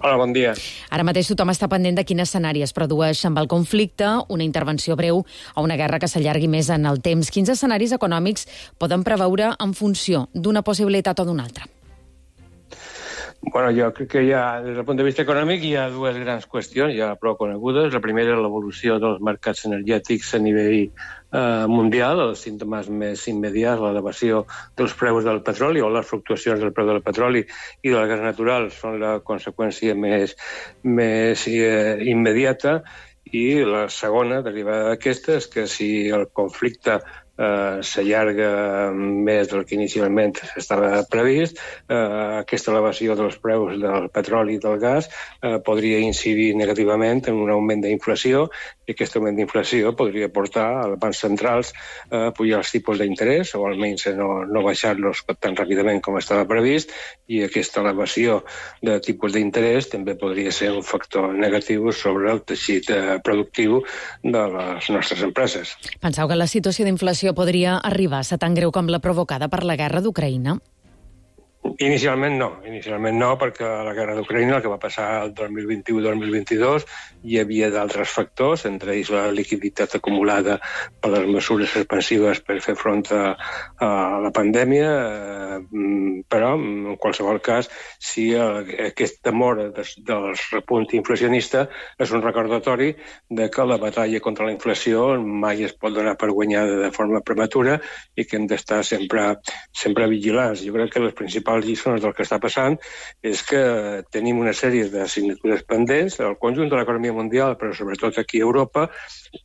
Hola, bon dia. Ara mateix tothom està pendent de quin escenari es produeix amb el conflicte, una intervenció breu o una guerra que s'allargui més en el temps. Quins escenaris econòmics poden preveure en funció d'una possibilitat o d'una altra? Bueno, jo crec que hi ha, des del punt de vista econòmic, hi ha dues grans qüestions, ja prou conegudes. La primera és l'evolució dels mercats energètics a nivell eh, mundial, els símptomes més immediats, l'elevació dels preus del petroli o les fluctuacions del preu del petroli i del gas natural són la conseqüència més, més eh, immediata. I la segona, derivada d'aquesta, és que si el conflicte eh, s'allarga més del que inicialment estava previst. Eh, aquesta elevació dels preus del petroli i del gas eh, podria incidir negativament en un augment d'inflació, i aquest augment d'inflació podria portar als bancs centrals a pujar els tipus d'interès, o almenys no, no baixar-los tan ràpidament com estava previst, i aquesta elevació de tipus d'interès també podria ser un factor negatiu sobre el teixit eh, productiu de les nostres empreses. Penseu que la situació d'inflació podria arribar a ser tan greu com la provocada per la guerra d'Ucraïna? Inicialment no, inicialment no, perquè a la guerra d'Ucraïna, el que va passar el dos mil vint-i-u dos mil vint-i-dos, hi havia d'altres factors, entre ells la liquiditat acumulada per les mesures expansives per fer front a, a la pandèmia, eh, però en qualsevol cas, si el, aquest temor des, dels repunt inflacionista és un recordatori de que la batalla contra la inflació mai es pot donar per guanyada de forma prematura i que hem d'estar sempre, sempre vigilants. Jo crec que les principals lliçons del que està passant és que tenim una sèrie d'assignatures pendents al conjunt de l'economia mundial, però sobretot aquí a Europa.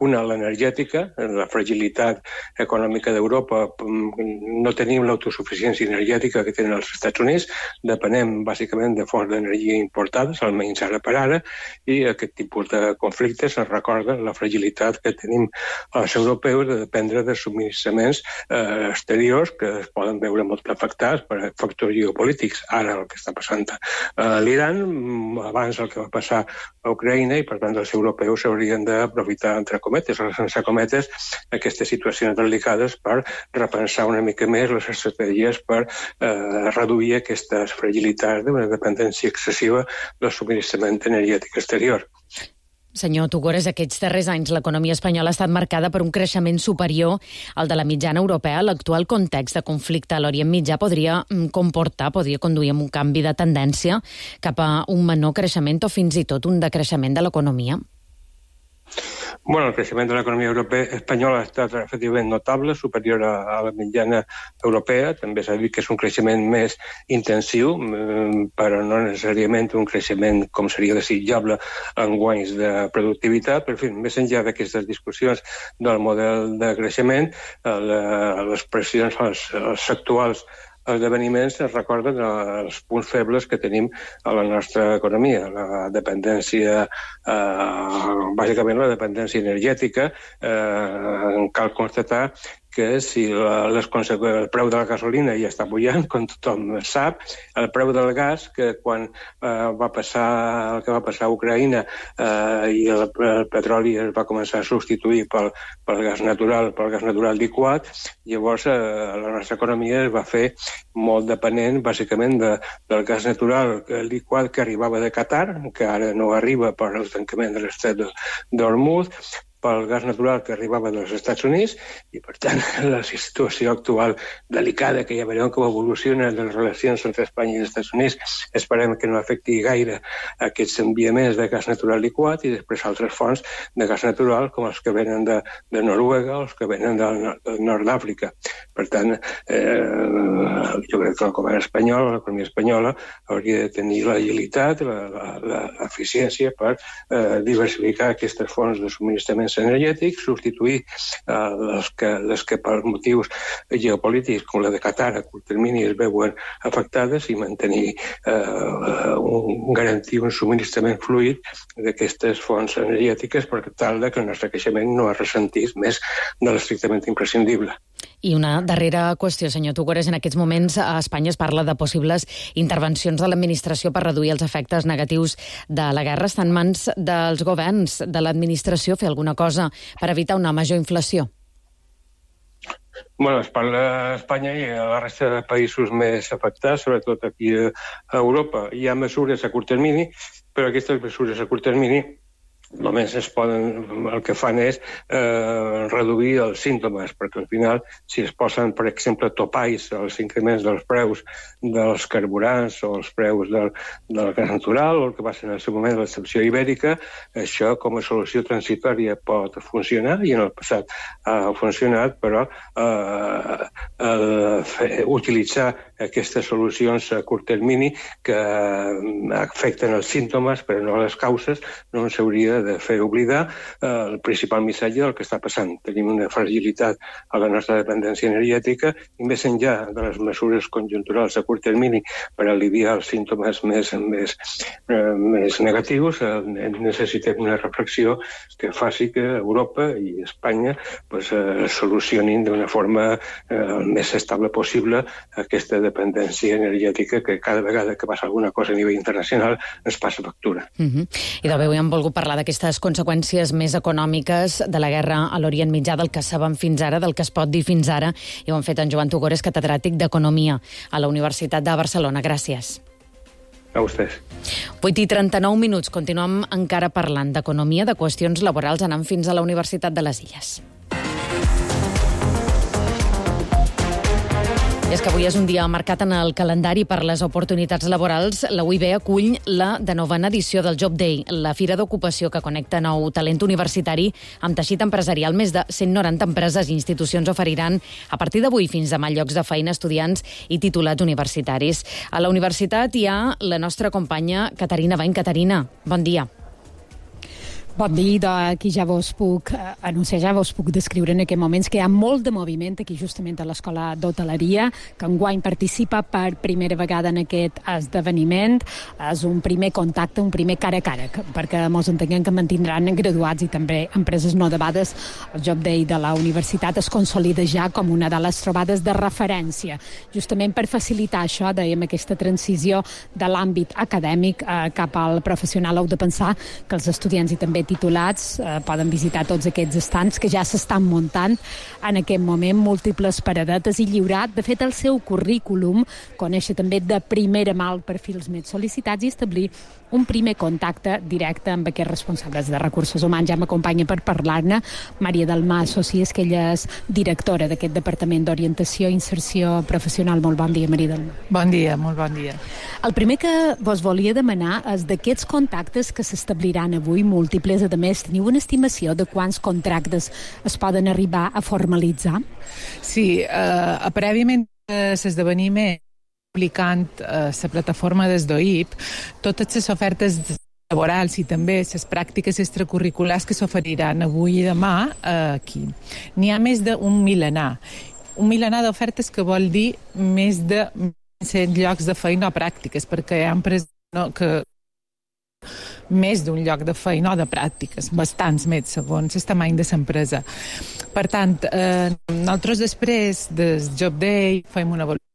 Una, l'energètica, la fragilitat econòmica d'Europa. No tenim l'autosuficiència energètica que tenen els Estats Units, depenem bàsicament de fonts d'energia importades, almenys ara per ara, i aquest tipus de conflictes ens recorden la fragilitat que tenim els europeus de dependre de subministraments eh, exteriors que es poden veure molt afectats per factors geopolítics. Ara el que està passant a l'Iran, abans el que va passar a Ucraïna, i per tant els europeus s'haurien d'aprofitar, entre cometes o sense cometes, aquestes situacions delicades per repensar una mica més les estratègies per eh, reduir aquestes fragilitats d'una dependència excessiva del subministrament energètic exterior. Senyor Tugores, aquests darrers anys l'economia espanyola ha estat marcada per un creixement superior al de la mitjana europea. L'actual context de conflicte a l'Orient Mitjà podria comportar, podria conduir a un canvi de tendència cap a un menor creixement o fins i tot un decreixement de l'economia? Bueno, el creixement de l'economia europea espanyola ha estat efectivament notable, superior a, a la mitjana europea. També s'ha dit que és un creixement més intensiu, però no necessàriament un creixement com seria desitjable en guanys de productivitat. Per fi, més enllà d'aquestes discussions del model de creixement, les pressions, els, els actuals esdeveniments es recorden els punts febles que tenim a la nostra economia. La dependència, eh, bàsicament la dependència energètica. Eh, cal constatar que si la, les el preu de la gasolina ja està pujant, com tothom sap, el preu del gas, que quan eh, va passar el que va passar a Ucraïna eh, i el, el petroli es va començar a substituir pel, pel gas natural, pel gas natural liquat, llavors eh, la nostra economia es va fer molt dependent, bàsicament, de, del gas natural liquat que arribava de Qatar, que ara no arriba per el tancament de l'estret d'Hormuz, pel gas natural que arribava dels Estats Units, i per tant la situació actual delicada, que ja veurem com evoluciona les relacions entre Espanya i els Estats Units, esperem que no afecti gaire aquests enviaments de gas natural liquat i després altres fonts de gas natural com els que venen de, de Noruega o els que venen del, del nord d'Àfrica. Per tant, eh, jo crec que el govern espanyol, l'economia espanyola, hauria de tenir l'agilitat, l'eficiència per eh, diversificar aquestes fonts de subministrament energètics, substituir eh, les, que, les que per motius geopolítics com la de Qatar a curt termini es veuen afectades i mantenir eh, un, garantir un subministrament fluid d'aquestes fonts energètiques per tal de que el nostre creixement no es ressentís més de l'estrictament imprescindible. I una darrera qüestió, senyor Tugores. En aquests moments a Espanya es parla de possibles intervencions de l'administració per reduir els efectes negatius de la guerra. Està en mans dels governs, de l'administració, fer alguna cosa per evitar una major inflació? Bueno, es parla a Espanya i a la resta de països més afectats, sobretot aquí a Europa. Hi ha mesures a curt termini, però aquestes mesures a curt termini només es poden, el que fan és eh, reduir els símptomes, perquè al final, si es posen, per exemple, topalls als increments dels preus dels carburants o els preus del, del gas natural, o el que va ser en el seu moment l'excepció ibèrica, això com a solució transitòria pot funcionar, i en el passat ha funcionat, però eh, eh, utilitzar aquestes solucions a curt termini que afecten els símptomes però no les causes, no ens hauria de fer oblidar el principal missatge del que està passant. Tenim una fragilitat a la nostra dependència energètica i més enllà de les mesures conjunturals a curt termini per aliviar els símptomes més, més, eh, més negatius, eh, necessitem una reflexió que faci que Europa i Espanya pues, eh, solucionin d'una forma eh, el més estable possible aquesta dependència energètica que cada vegada que passa alguna cosa a nivell internacional ens passa factura. Uh-huh. I de bé, avui hem volgut parlar d'aquestes conseqüències més econòmiques de la guerra a l'Orient Mitjà, del que sabem fins ara, del que es pot dir fins ara, i ho han fet en Joan Tugores, catedràtic d'Economia a la Universitat de Barcelona. Gràcies. A vostès. vuit i trenta-nou minuts. Continuem encara parlant d'economia, de qüestions laborals, anant fins a la Universitat de les Illes. I és que avui és un dia marcat en el calendari per les oportunitats laborals. La U I B acull la de novena edició del Job Day, la fira d'ocupació que connecta nou talent universitari amb teixit empresarial. Més de cent noranta empreses i institucions oferiran a partir d'avui fins demà llocs de feina a estudiants i titulats universitaris. A la universitat hi ha la nostra companya Caterina Bain. Caterina, bon dia. Bon dia, aquí ja vos puc anunciar, ja vos puc descriure en aquests moments que hi ha molt de moviment aquí justament a l'Escola d'Hoteleria, que enguany participa per primera vegada en aquest esdeveniment. És un primer contacte, un primer cara a cara, perquè mos entenguem que mantindran graduats i també empreses no debades. El Job Day de la universitat es consolida ja com una de les trobades de referència, justament per facilitar això, dèiem, aquesta transició de l'àmbit acadèmic eh, cap al professional. Heu de pensar que els estudiants i també titulats eh, poden visitar tots aquests estants que ja s'estan muntant en aquest moment, múltiples paradetes i lliurar, de fet, el seu currículum, conèixer també de primera mà els perfils més sol·licitats i establir un primer contacte directe amb aquests responsables de recursos humans. Ja m'acompanya per parlar-ne Maria Dalmà Socies, que ella és directora d'aquest Departament d'Orientació i Inserció Professional. Molt bon dia, Maria Dalmà. Bon dia, molt bon dia. El primer que vos volia demanar és d'aquests contactes que s'establiran avui, múltiples, a més, teniu una estimació de quants contractes es poden arribar a formalitzar? Sí, eh, prèviament a l'esdeveniment aplicant eh, la plataforma des d'O I P, totes les ofertes laborals i també les pràctiques extracurriculars que s'oferiran avui i demà eh, aquí. N'hi ha més d'un milenar. Un milenar d'ofertes que vol dir més de cent llocs de feina o pràctiques, perquè hi ha empreses no, que més d'un lloc de feina o de pràctiques, bastants més, segons el tamany de l'empresa. Per tant, eh, nosaltres després del Job Day fem una avaluació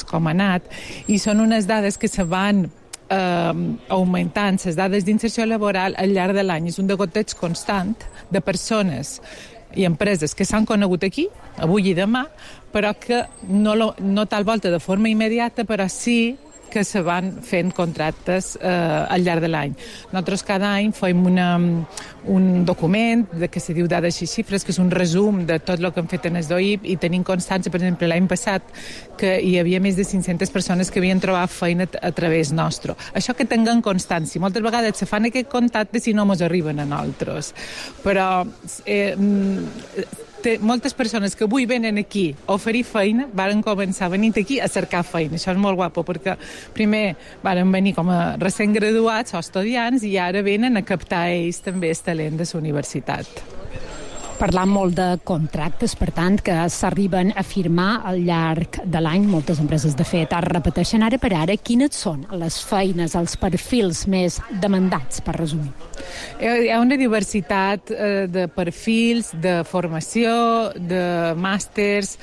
com ha anat, i són unes dades que se van eh, augmentant, les dades d'inserció laboral al llarg de l'any. És un degoteig constant de persones i empreses que s'han conegut aquí, avui i demà, però que no, lo, no tal volta de forma immediata, però sí que se van fent contractes eh, al llarg de l'any. Nosaltres cada any fem una, un document de que se diu dades i xifres, que és un resum de tot el que hem fet en el D O I P, i tenim constància, per exemple, l'any passat, que hi havia més de cinc-centes persones que havien trobat feina a través nostre. Això que tinguem constància. Moltes vegades se fan aquest contacte si no ens arriben a nosaltres. Però eh, té moltes persones que avui venen aquí a oferir feina, varen començar venint aquí a cercar feina. Això és molt guapo, perquè primer varen venir com a recent graduats o estudiants i ara venen a captar ells també el talent de la universitat. Parlant molt de contractes, per tant, que s'arriben a firmar al llarg de l'any. Moltes empreses, de fet, es repeteixen ara per ara. Quines són les feines, els perfils més demandats, per resumir? Hi ha una diversitat eh, de perfils, de formació, de màsters.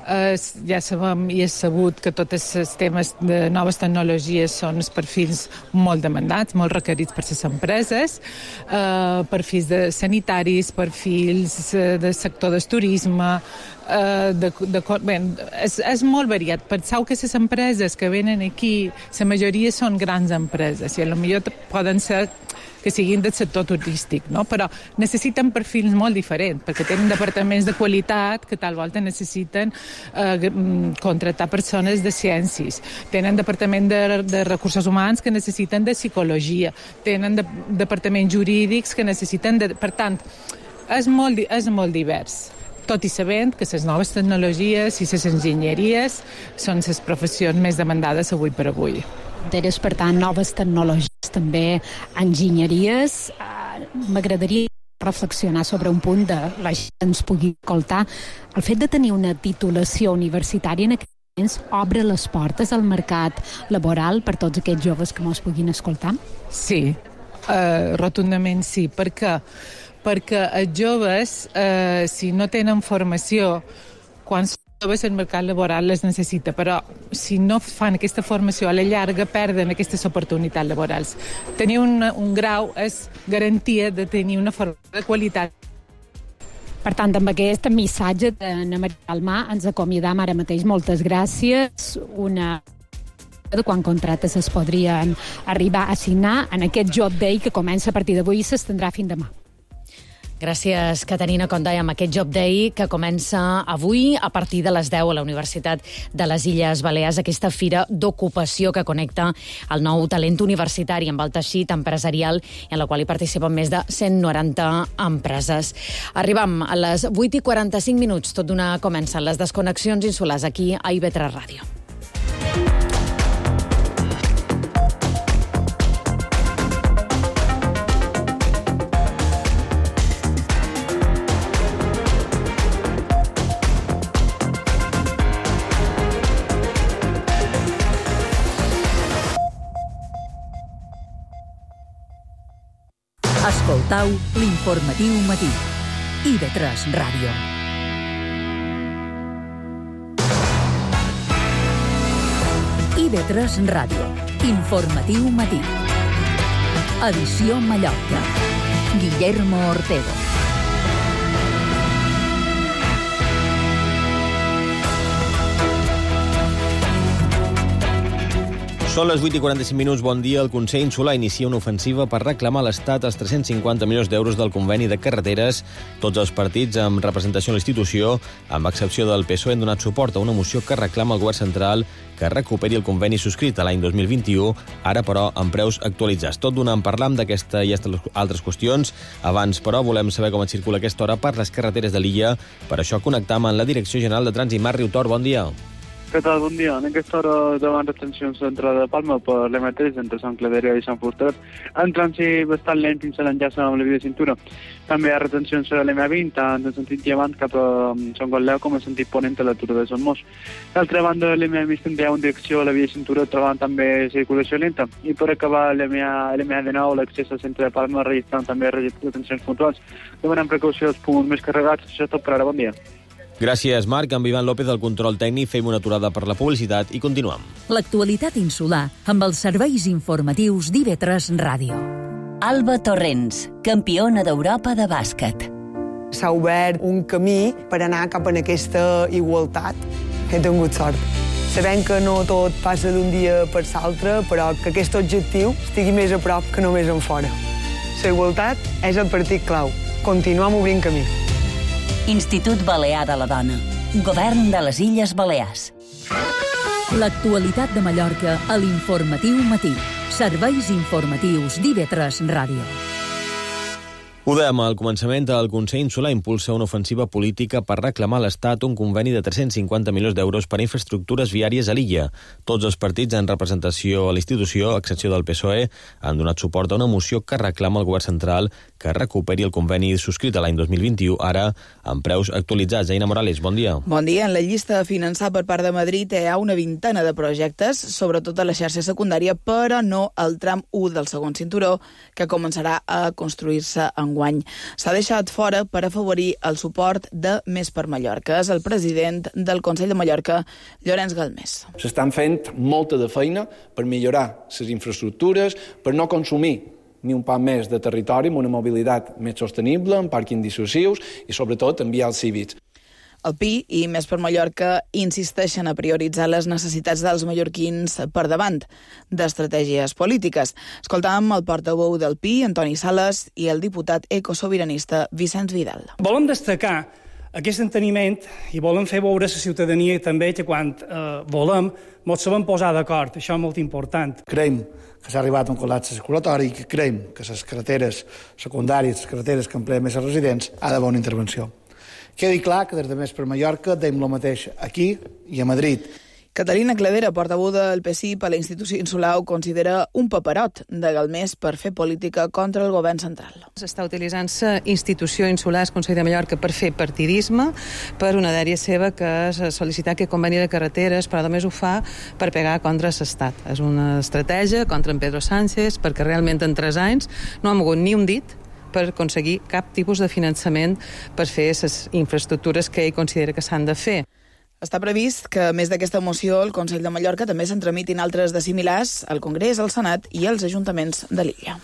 Eh, ja sabem i és sabut que tots els temes de noves tecnologies són els perfils molt demandats, molt requerits per les empreses. Eh, perfils de sanitaris, perfils del sector del turisme, eh, de, de, bé, és, és molt variat. Penseu que les empreses que venen aquí, la majoria són grans empreses i potser poden ser que siguin del sector turístic, no? Però necessiten perfils molt diferents, perquè tenen departaments de qualitat que tal volta necessiten eh, contractar persones de ciències, tenen departament de, de recursos humans que necessiten de psicologia, tenen de, departaments jurídics que necessiten de... Per tant, és molt, és molt divers. tot i sabent que les noves tecnologies i les enginyeries són les professions més demandades avui per avui. Teres, per tant, noves tecnologies, també enginyeries. M'agradaria reflexionar sobre un punt de la gent ens pugui escoltar. El fet de tenir una titulació universitària en aquests moments obre les portes al mercat laboral per tots aquests joves que mos puguin escoltar? Sí, uh, rotundament sí. Per què? Perquè els joves, uh, si no tenen formació, quan són joves el mercat laboral les necessita, però si no fan aquesta formació a la llarga perden aquestes oportunitats laborals. Tenir un, un grau és garantia de tenir una formació de qualitat. Per tant, amb aquest missatge d'Anna Maria Palmar ens acomiadam ara mateix. Moltes gràcies. Una de quan contractes es podrien arribar a signar en aquest Job Day que comença a partir d'avui i s'estendrà fins demà. Gràcies, Caterina Condai, amb aquest Job Day que comença avui a partir de les deu a la Universitat de les Illes Balears, aquesta fira d'ocupació que connecta el nou talent universitari amb el teixit empresarial i en la qual hi participen més de cent noranta empreses. Arribam a les vuit i quaranta-cinc minuts, tot d'una comencen les desconnexions insulars aquí a I V tres Ràdio. Escoltau l'informatiu matí. I V tres Ràdio. I V tres Ràdio. Informatiu matí. Edició Mallorca. Guillermo Ortego. Són les vuit i quaranta-cinc minuts. Bon dia. El Consell Insular inicia una ofensiva per reclamar a l'Estat els tres-cents cinquanta milions d'euros del conveni de carreteres. Tots els partits amb representació a l'institució, amb excepció del P S O E, han donat suport a una moció que reclama al govern central que recuperi el conveni subscrit a l'any dos mil vint-i-u, ara, però, amb preus actualitzats. Tot d'una en parlam d'aquesta i altres qüestions. Abans, però, volem saber com et circula aquesta hora per les carreteres de l'illa. Per això connectam amb la Direcció General de Trànsit. Marc Riutor, bon dia. Què tal? Bon dia. En aquesta hora davant retencions d'entrada de Palma per l'M tres entre Sant Claveria i Sant Fustet. En trànsit bastant lent fins a l'enllaç amb la via de cintura. També hi ha retencions a l'M vint, tant en sentit llevant cap a Sant Gotleu com en sentit ponent a l'atura de Sant Mos. D'altra banda, l'M vint tindrà en direcció a la via de cintura, trobant també circulació lenta. I per acabar, l'M de nou, l'accés al centre de Palma, registrant també retencions puntuals. Demanem precaució als punts més carregats. Això és tot per ara. Bon dia. Gràcies, Marc. Amb Ivan López del control tècnic fem una aturada per la publicitat i continuem. L'actualitat insular amb els serveis informatius d'I V tres Ràdio. Alba Torrents, campiona d'Europa de bàsquet. S'ha obert un camí per anar cap a aquesta igualtat. He tingut sort. Sabem que no tot passa d'un dia per l'altre, però que aquest objectiu estigui més a prop que només en fora. La igualtat és el partit clau. Continuem obrint camí. Institut Balear de la Dona. Govern de les Illes Balears. L'actualitat de Mallorca a l'informatiu matí. Serveis informatius d'I V tres Ràdio. Ho dèiem al començament, el Consell Insular impulsa una ofensiva política per reclamar a l'Estat un conveni de tres-cents cinquanta milions d'euros per a infraestructures viàries a l'illa. Tots els partits en representació a l'institució, a excepció del P S O E, han donat suport a una moció que reclama al govern central que recuperi el conveni subscrit a l'any dos mil vint-i-u, ara amb preus actualitzats. Aina Morales, bon dia. Bon dia. En la llista a finançar per part de Madrid hi ha una vintena de projectes, sobretot a la xarxa secundària, però no al tram u del segon cinturó, que començarà a construir-se enguany. S'ha deixat fora per afavorir el suport de Més per Mallorca. És el president del Consell de Mallorca, Llorenç Galmés. S'estan fent molta de feina per millorar les infraestructures, per no consumir ni un poc més de territori amb una mobilitat més sostenible, amb pàrquings dissuasius i, sobretot, en vials cívics. El P I i Més per Mallorca insisteixen a prioritzar les necessitats dels mallorquins per davant d'estratègies polítiques. Escoltàvem el portaveu del P I, Antoni Sales, i el diputat ecosobiranista Vicenç Vidal. Volem destacar aquest enteniment i volem fer veure a la ciutadania també que quan eh, volem ens sabem posar d'acord. Això és molt important. Creiem que s'ha arribat a un col·lapse circulatori i que creiem que les carreteres secundàries, les carreteres que empleen més els residents, ha d'haver una intervenció. Quedi clar que des de Més per Mallorca deim el mateix aquí i a Madrid. Catalina Cladera, portaveu del P S I per la institució insular, ho considera un paperot de Galmés per fer política contra el govern central. S'està utilitzant-se institució insular, el Consell de Mallorca, per fer partidisme, per una dèria seva que és sol·licitar que conveni de carreteres, però només ho fa per pegar contra l'Estat. És una estratègia contra en Pedro Sánchez, perquè realment en tres anys no ha mogut ni un dit per aconseguir cap tipus de finançament per fer les infraestructures que ell considera que s'han de fer. Està previst que, a més d'aquesta moció, el Consell de Mallorca també se'n tramitin altres de similars al Congrés, al Senat i als ajuntaments de l'illa.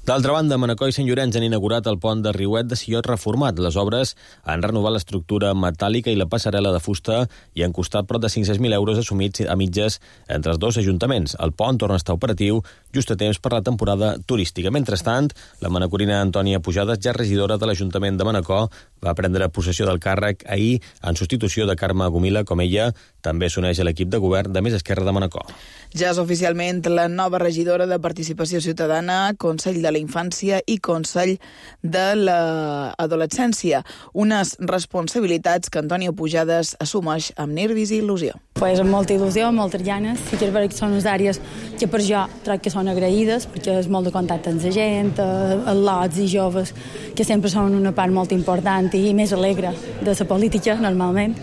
D'altra banda, Manacor i Sant Llorenç han inaugurat el pont de Riuet de Sillot reformat. Les obres han renovat l'estructura metàl·lica i la passarel·la de fusta i han costat prop de cinc-cents mil euros assumits a mitges entre els dos ajuntaments. El pont torna a estar operatiu just a temps per la temporada turística. Mentrestant, la manacorina Antònia Pujades, ja regidora de l'Ajuntament de Manacor, va prendre possessió del càrrec ahir en substitució de Carme Gomila, com ella també s'uneix a l'equip de govern de Més Esquerra de Manacor. Ja és oficialment la nova regidora de Participació Ciutadana, Consell de la Infància i Consell de l'Adolescència. Unes responsabilitats que Antònia Pujades assumeix amb nervis i il·lusió. Pues amb molta il·lusió, amb moltes ganes. Sí que és veritat que són unes àrees que per jo crec que són agraïdes, perquè és molt de contacte amb la gent, els lots i joves, que sempre són una part molt important i més alegre de la política, normalment.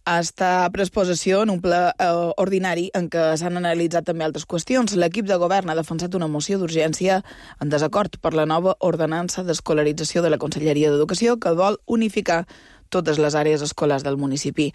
Està pres possessió en un ple eh, ordinari en què s'han analitzat també altres qüestions. L'equip de govern ha defensat una moció d'urgència en desacord per la nova ordenança d'escolarització de la Conselleria d'Educació que vol unificar totes les àrees escolars del municipi.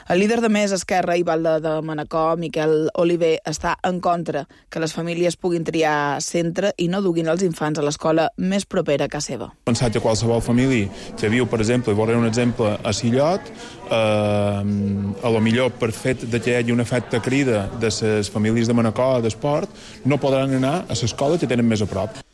El líder de Més Esquerra i Valde de Manacor, Miquel Oliver, està en contra que les famílies puguin triar centre i no duguin els infants a l'escola més propera a casa seva. Pensat que qualsevol família que viu, per exemple, i veuré un exemple a Sillot, eh, a lo millor per fet de que hi hagi un efecte crida de les famílies de Manacor d'esport, no podran anar a l'escola que tenen més a prop.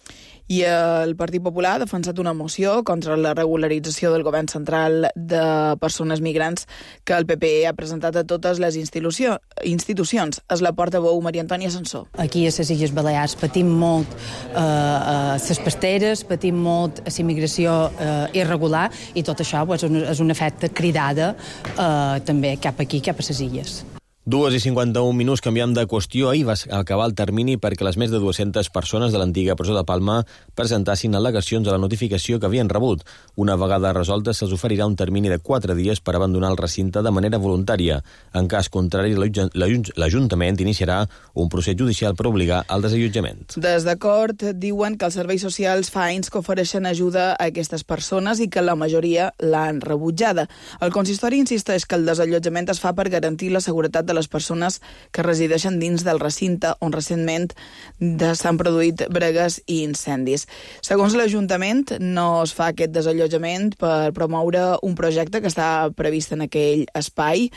I el Partit Popular ha defensat una moció contra la regularització del govern central de persones migrants que el P P ha presentat a totes les institució, institucions. És la portaveu Maria Antònia Sansó. Aquí a les Illes Balears patim molt eh, a les pasteres, patim molt a la immigració eh, irregular i tot això pues, és un efecte cridada eh, també cap aquí, cap a les illes. Dues i cinquanta-un minuts, canviam de qüestió. Ahir va acabar el termini perquè les més de dues-centes persones de l'antiga presó de Palma presentassin al·legacions a la notificació que havien rebut. Una vegada resolta, se'ls oferirà un termini de quatre dies per abandonar el recinte de manera voluntària. En cas contrari, l'Ajuntament iniciarà un procés judicial per obligar al desallotjament. Des d'acord, diuen que els serveis socials fa anys que ofereixen ajuda a aquestes persones i que la majoria l'han rebutjada. El consistori insisteix que el desallotjament es fa per garantir la seguretat de les persones que resideixen dins del recinte on recentment s'han produït bregues i incendis. Segons l'Ajuntament, no es fa aquest desallotjament per promoure un projecte que està previst en aquell espai.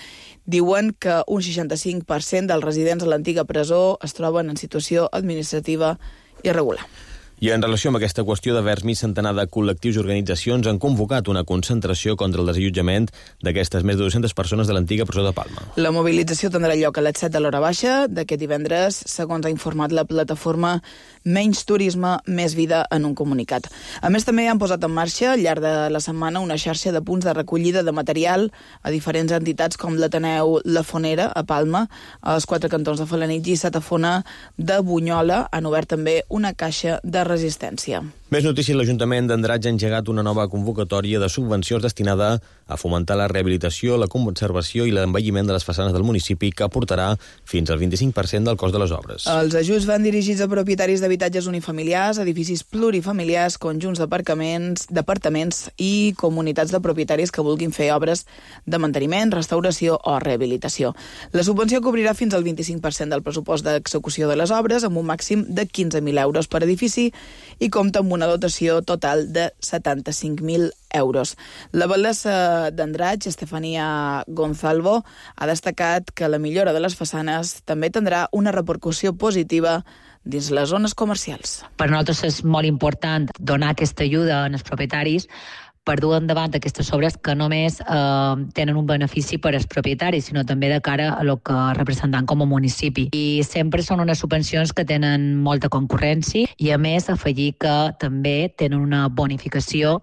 Diuen que un seixanta-cinc per cent dels residents a l'antiga presó es troben en situació administrativa irregular. I en relació amb aquesta qüestió, devers mig centenar de col·lectius i organitzacions han convocat una concentració contra el desallotjament d'aquestes més de dues-centes persones de l'antiga presó de Palma. La mobilització tindrà lloc a les set de l'hora baixa d'aquest divendres, segons ha informat la plataforma Menys Turisme, Més Vida en un comunicat. A més, també han posat en marxa al llarg de la setmana una xarxa de punts de recollida de material a diferents entitats com l'Ateneu La Fonera, a Palma, als quatre cantons de Felanitx i Satafona de Bunyola han obert també una caixa de resistència. Més notícies, l'Ajuntament d'Andratx ha engegat una nova convocatòria de subvencions destinada a fomentar la rehabilitació, la conservació i l'envelliment de les façanes del municipi, que aportarà fins al vint-i-cinc per cent del cost de les obres. Els ajuts van dirigits a propietaris d'habitatges unifamiliars, edificis plurifamiliars, conjunts d'aparcaments, d'apartaments i comunitats de propietaris que vulguin fer obres de manteniment, restauració o rehabilitació. La subvenció cobrirà fins al vint-i-cinc per cent del pressupost d'execució de les obres, amb un màxim de quinze mil euros per edifici i compta amb una dotació total de setanta-cinc mil euros. La batllessa d'Andratx, Estefania Gonzalvo, ha destacat que la millora de les façanes també tindrà una repercussió positiva dins les zones comercials. Per nosaltres és molt important donar aquesta ajuda als propietaris per dur endavant aquestes obres que només eh, tenen un benefici per als propietaris, sinó també de cara a lo que representant com a municipi. I sempre són unes subvencions que tenen molta concurrència i, a més, afegir que també tenen una bonificació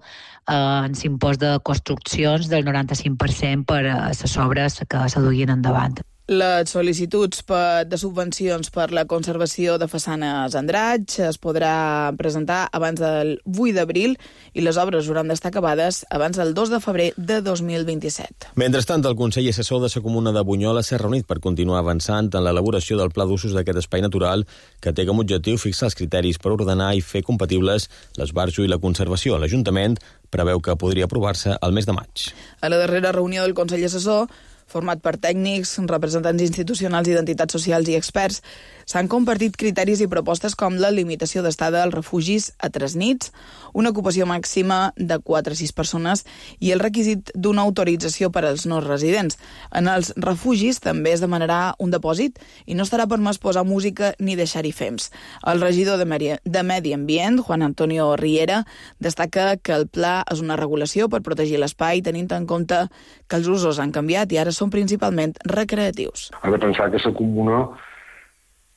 eh, en l'impost de construccions del noranta-cinc per cent per a les obres que s'aduguin endavant. Les sol·licituds per, de subvencions per la conservació de façanes Andratx es podrà presentar abans del vuit d'abril i les obres hauran d'estar acabades abans del dos de febrer de dos mil vint-i-set. Mentrestant, el Consell Assessor de la Comuna de Bunyola s'ha reunit per continuar avançant en l'elaboració del pla d'usos d'aquest espai natural que té com a objectiu fixar els criteris per ordenar i fer compatibles l'esbarjo i la conservació. L'Ajuntament preveu que podria aprovar-se al mes de maig. A la darrera reunió del Consell Assessor, format per tècnics, representants institucionals, identitats socials i experts, s'han compartit criteris i propostes com la limitació d'estada als refugis a tres nits, una ocupació màxima de quatre a sis persones i el requisit d'una autorització per als no residents. En els refugis també es demanarà un depòsit i no estarà permès posar música ni deixar-hi fems. El regidor de Medi, de Medi Ambient, Juan Antonio Riera, destaca que el pla és una regulació per protegir l'espai, tenint en compte que els usos han canviat i ara són principalment recreatius. Ha de pensar que la comuna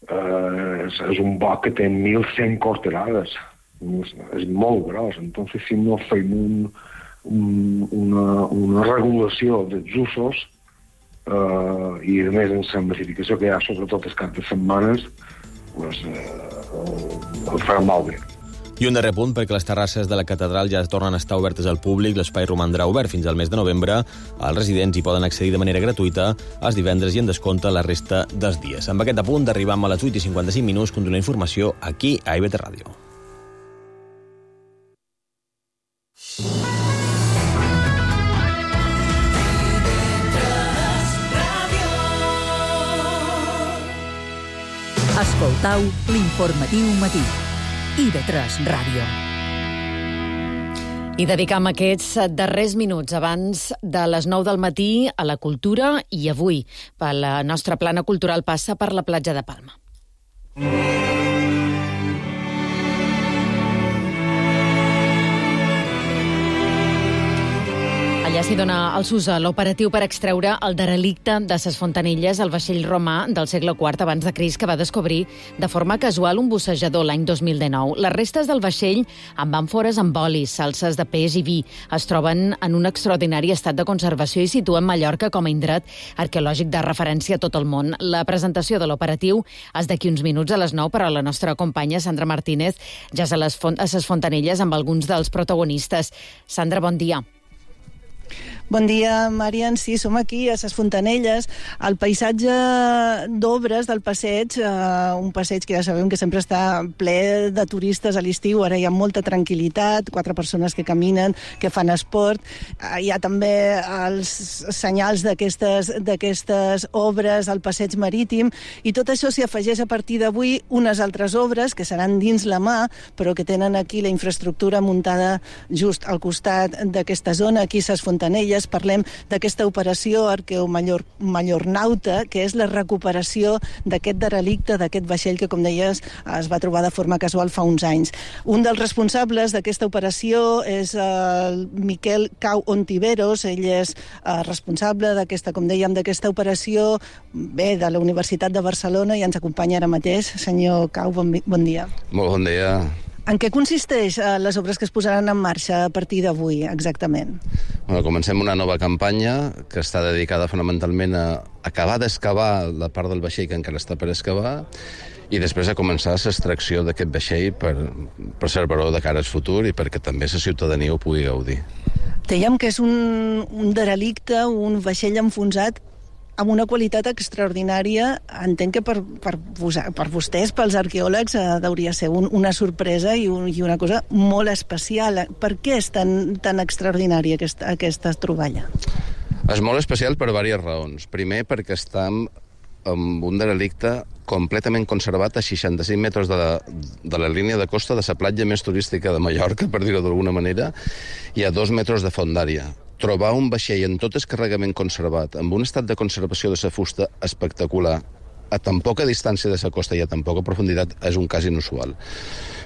eh, és, és un boc que té mil cent corterades. És, és molt gros. Entonces, si no fem un, un, una, una regulació dels usos eh, i, a més, en la massificació que hi ha, sobretot els caps de setmanes, pues, eh, el farà molt bé. I un darrer punt, perquè les terrasses de la catedral ja tornen a estar obertes al públic. L'espai romandrà obert fins al mes de novembre. Els residents hi poden accedir de manera gratuïta els divendres i en descompte la resta dels dies. Amb aquest apunt arribam a les vuit i cinquanta-cinc minuts. Continua informació aquí a I B T Ràdio. Escoltau l'informatiu matí. I B tres Ràdio. I dedicam aquests darrers minuts abans de les nou del matí a la cultura i avui la nostra plana cultural passa per la platja de Palma. Allà s'hi dona el s'ús a l'operatiu per extreure el derelicte de ses Fontanilles, el vaixell romà del segle quart abans de Crist que va descobrir de forma casual un bussejador l'any dos mil dinou. Les restes del vaixell amb àmfores amb oli, salses de peix i vi es troben en un extraordinari estat de conservació i situen Mallorca com a indret arqueològic de referència a tot el món. La presentació de l'operatiu és d'aquí uns minuts a les nou, però la nostra companya Sandra Martínez ja és a les, font a ses Fontanilles amb alguns dels protagonistes. Sandra, bon dia. Bon dia, Marian. Sí, som aquí a ses Fontanelles. El paisatge d'obres del passeig, eh, un passeig que ja sabem que sempre està ple de turistes a l'estiu, ara hi ha molta tranquil·litat, quatre persones que caminen, que fan esport. Eh, hi ha també els senyals d'aquestes d'aquestes obres al passeig marítim, i tot això s'hi afegeix a partir d'avui unes altres obres que seran dins la mà, però que tenen aquí la infraestructura muntada just al costat d'aquesta zona, aquí a ses Fontanelles. Parlem d'aquesta operació Arqueo-Mallornauta, que és la recuperació d'aquest derelicte, d'aquest vaixell que, com deies, es va trobar de forma casual fa uns anys. Un dels responsables d'aquesta operació és el Miquel Cau Ontiveros. Ell és eh, responsable d'aquesta, com dèiem, d'aquesta operació, bé, de la Universitat de Barcelona, i ens acompanya ara mateix. Senyor Cau, bon, bon dia. Molt bon dia. En què consisteix eh, les obres que es posaran en marxa a partir d'avui, exactament? Bueno, comencem una nova campanya que està dedicada fonamentalment a acabar d'excavar la part del vaixell que encara està per excavar i després a començar l'extracció d'aquest vaixell per preservar-ho de cara al futur i perquè també la ciutadania ho pugui gaudir. Dèiem que és un, un derelicte, un vaixell enfonsat amb una qualitat extraordinària. Entenc que per, per, per vostès, pels arqueòlegs, eh, hauria ser un, una sorpresa i, un, i una cosa molt especial. Per què és tan, tan extraordinària aquesta, aquesta troballa? És molt especial per diverses raons. Primer, perquè estem amb un derelicte completament conservat a seixanta-cinc metres de la, de la línia de costa de la platja més turística de Mallorca, per dir-ho d'alguna manera, i a dos metres de fondària. Trobar un vaixell en tot el carregament conservat, amb un estat de conservació de la fusta espectacular, a tan poca distància de la costa i a tan poca profunditat, és un cas inusual.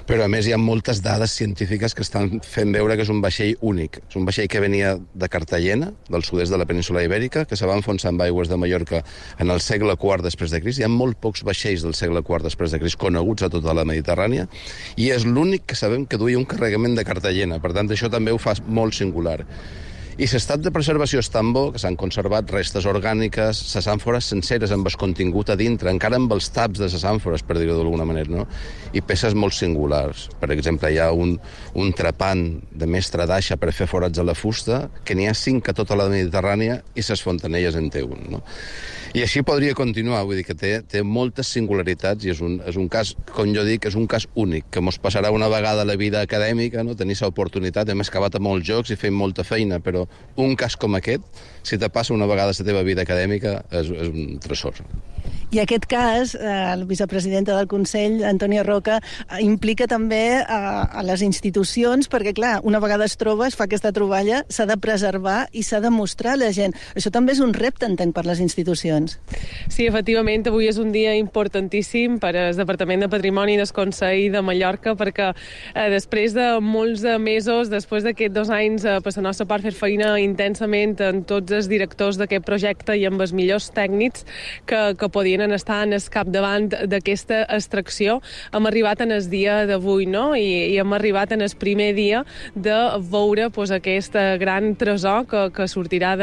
Però, a més, hi ha moltes dades científiques que estan fent veure que és un vaixell únic. És un vaixell que venia de Cartagena, del sud-est de la península Ibèrica, que se va enfonsar amb aigües de Mallorca en el segle quart després de Crist. Hi ha molt pocs vaixells del segle quart després de Crist coneguts a tota la Mediterrània, i és l'únic que sabem que duia un carregament de Cartagena. Per tant, això també ho fa molt singular. I l'estat de preservació és tan bo que s'han conservat restes orgàniques, les àmfores senceres amb el contingut a dintre, encara amb els taps de les àmfores, per dir-ho d'alguna manera, no? I peces molt singulars. Per exemple, hi ha un, un trepant de mestre d'aixa per fer forats a la fusta, que n'hi ha cinc a tota la Mediterrània i les fontanelles en té un, no? I així podria continuar, vull dir que té, té moltes singularitats i és un, és un cas, com jo dic, és un cas únic, que mos passarà una vegada a la vida acadèmica, no? Tenir l'oportunitat, hem excavat a molts jocs i fem molta feina, però un cas com aquest, si te passa una vegada a la teva vida acadèmica, és, és un tresor. I aquest cas, eh, el vicepresidenta del Consell, Antònia Roca, eh, implica també eh, a les institucions, perquè, clar, una vegada es troba, es fa aquesta troballa, s'ha de preservar i s'ha de mostrar a la gent. Això també és un repte, entenc, per les institucions. Sí, efectivament, avui és un dia importantíssim per al Departament de Patrimoni del Consell de Mallorca, perquè eh, després de molts de mesos, després d'aquests dos anys, eh, per la nostra part fer feina intensament amb tots els directors d'aquest projecte i amb els millors tècnics que, que podien estar en el capdavant d'aquesta extracció, hem arribat en el dia d'avui, no? I, i hem arribat en el primer dia de veure pues, aquest gran tresor que, que sortirà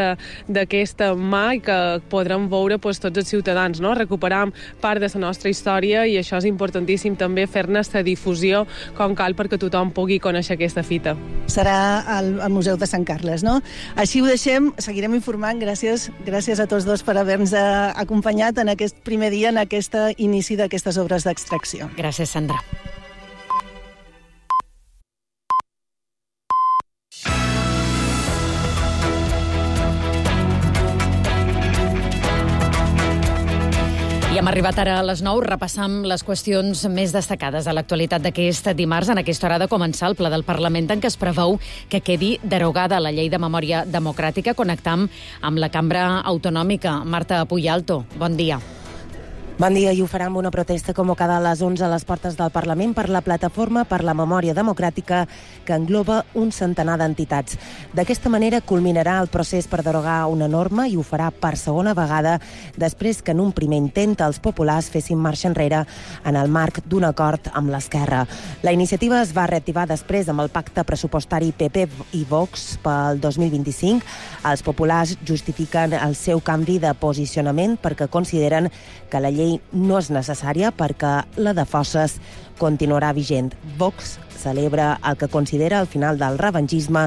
d'aquesta mà i que podrem veure pues, tots els ciutadans, no? Recuperam part de la nostra història i això és importantíssim també fer-ne la difusió com cal perquè tothom pugui conèixer aquesta fita. Serà al, al Museu de Sant Carles, no? Així ho deixem, seguirem informant. Gràcies, gràcies a tots dos per haver-nos acompanyat en aquest primer dia, en aquest inici d'aquestes obres d'extracció. Gràcies, Sandra. I hem arribat ara a les nou, repassam les qüestions més destacades de l'actualitat d'aquest dimarts. En aquesta hora de començar el ple del Parlament en què es preveu que quedi derogada la llei de memòria democràtica. Connectam amb la cambra autonòmica. Marta Puyalto, bon dia. Bon dia, i ho farà amb una protesta convocada a les onze a les portes del Parlament per la Plataforma per la Memòria Democràtica, que engloba un centenar d'entitats. D'aquesta manera culminarà el procés per derogar una norma i ho farà per segona vegada després que en un primer intent els populars fessin marxa enrere en el marc d'un acord amb l'Esquerra. La iniciativa es va reactivar després amb el pacte pressupostari P P i Vox pel dos mil vint-i-cinc. Els populars justifiquen el seu canvi de posicionament perquè consideren que la llei no és necessària perquè la de fosses continuarà vigent. Vox celebra el que considera el final del revengisme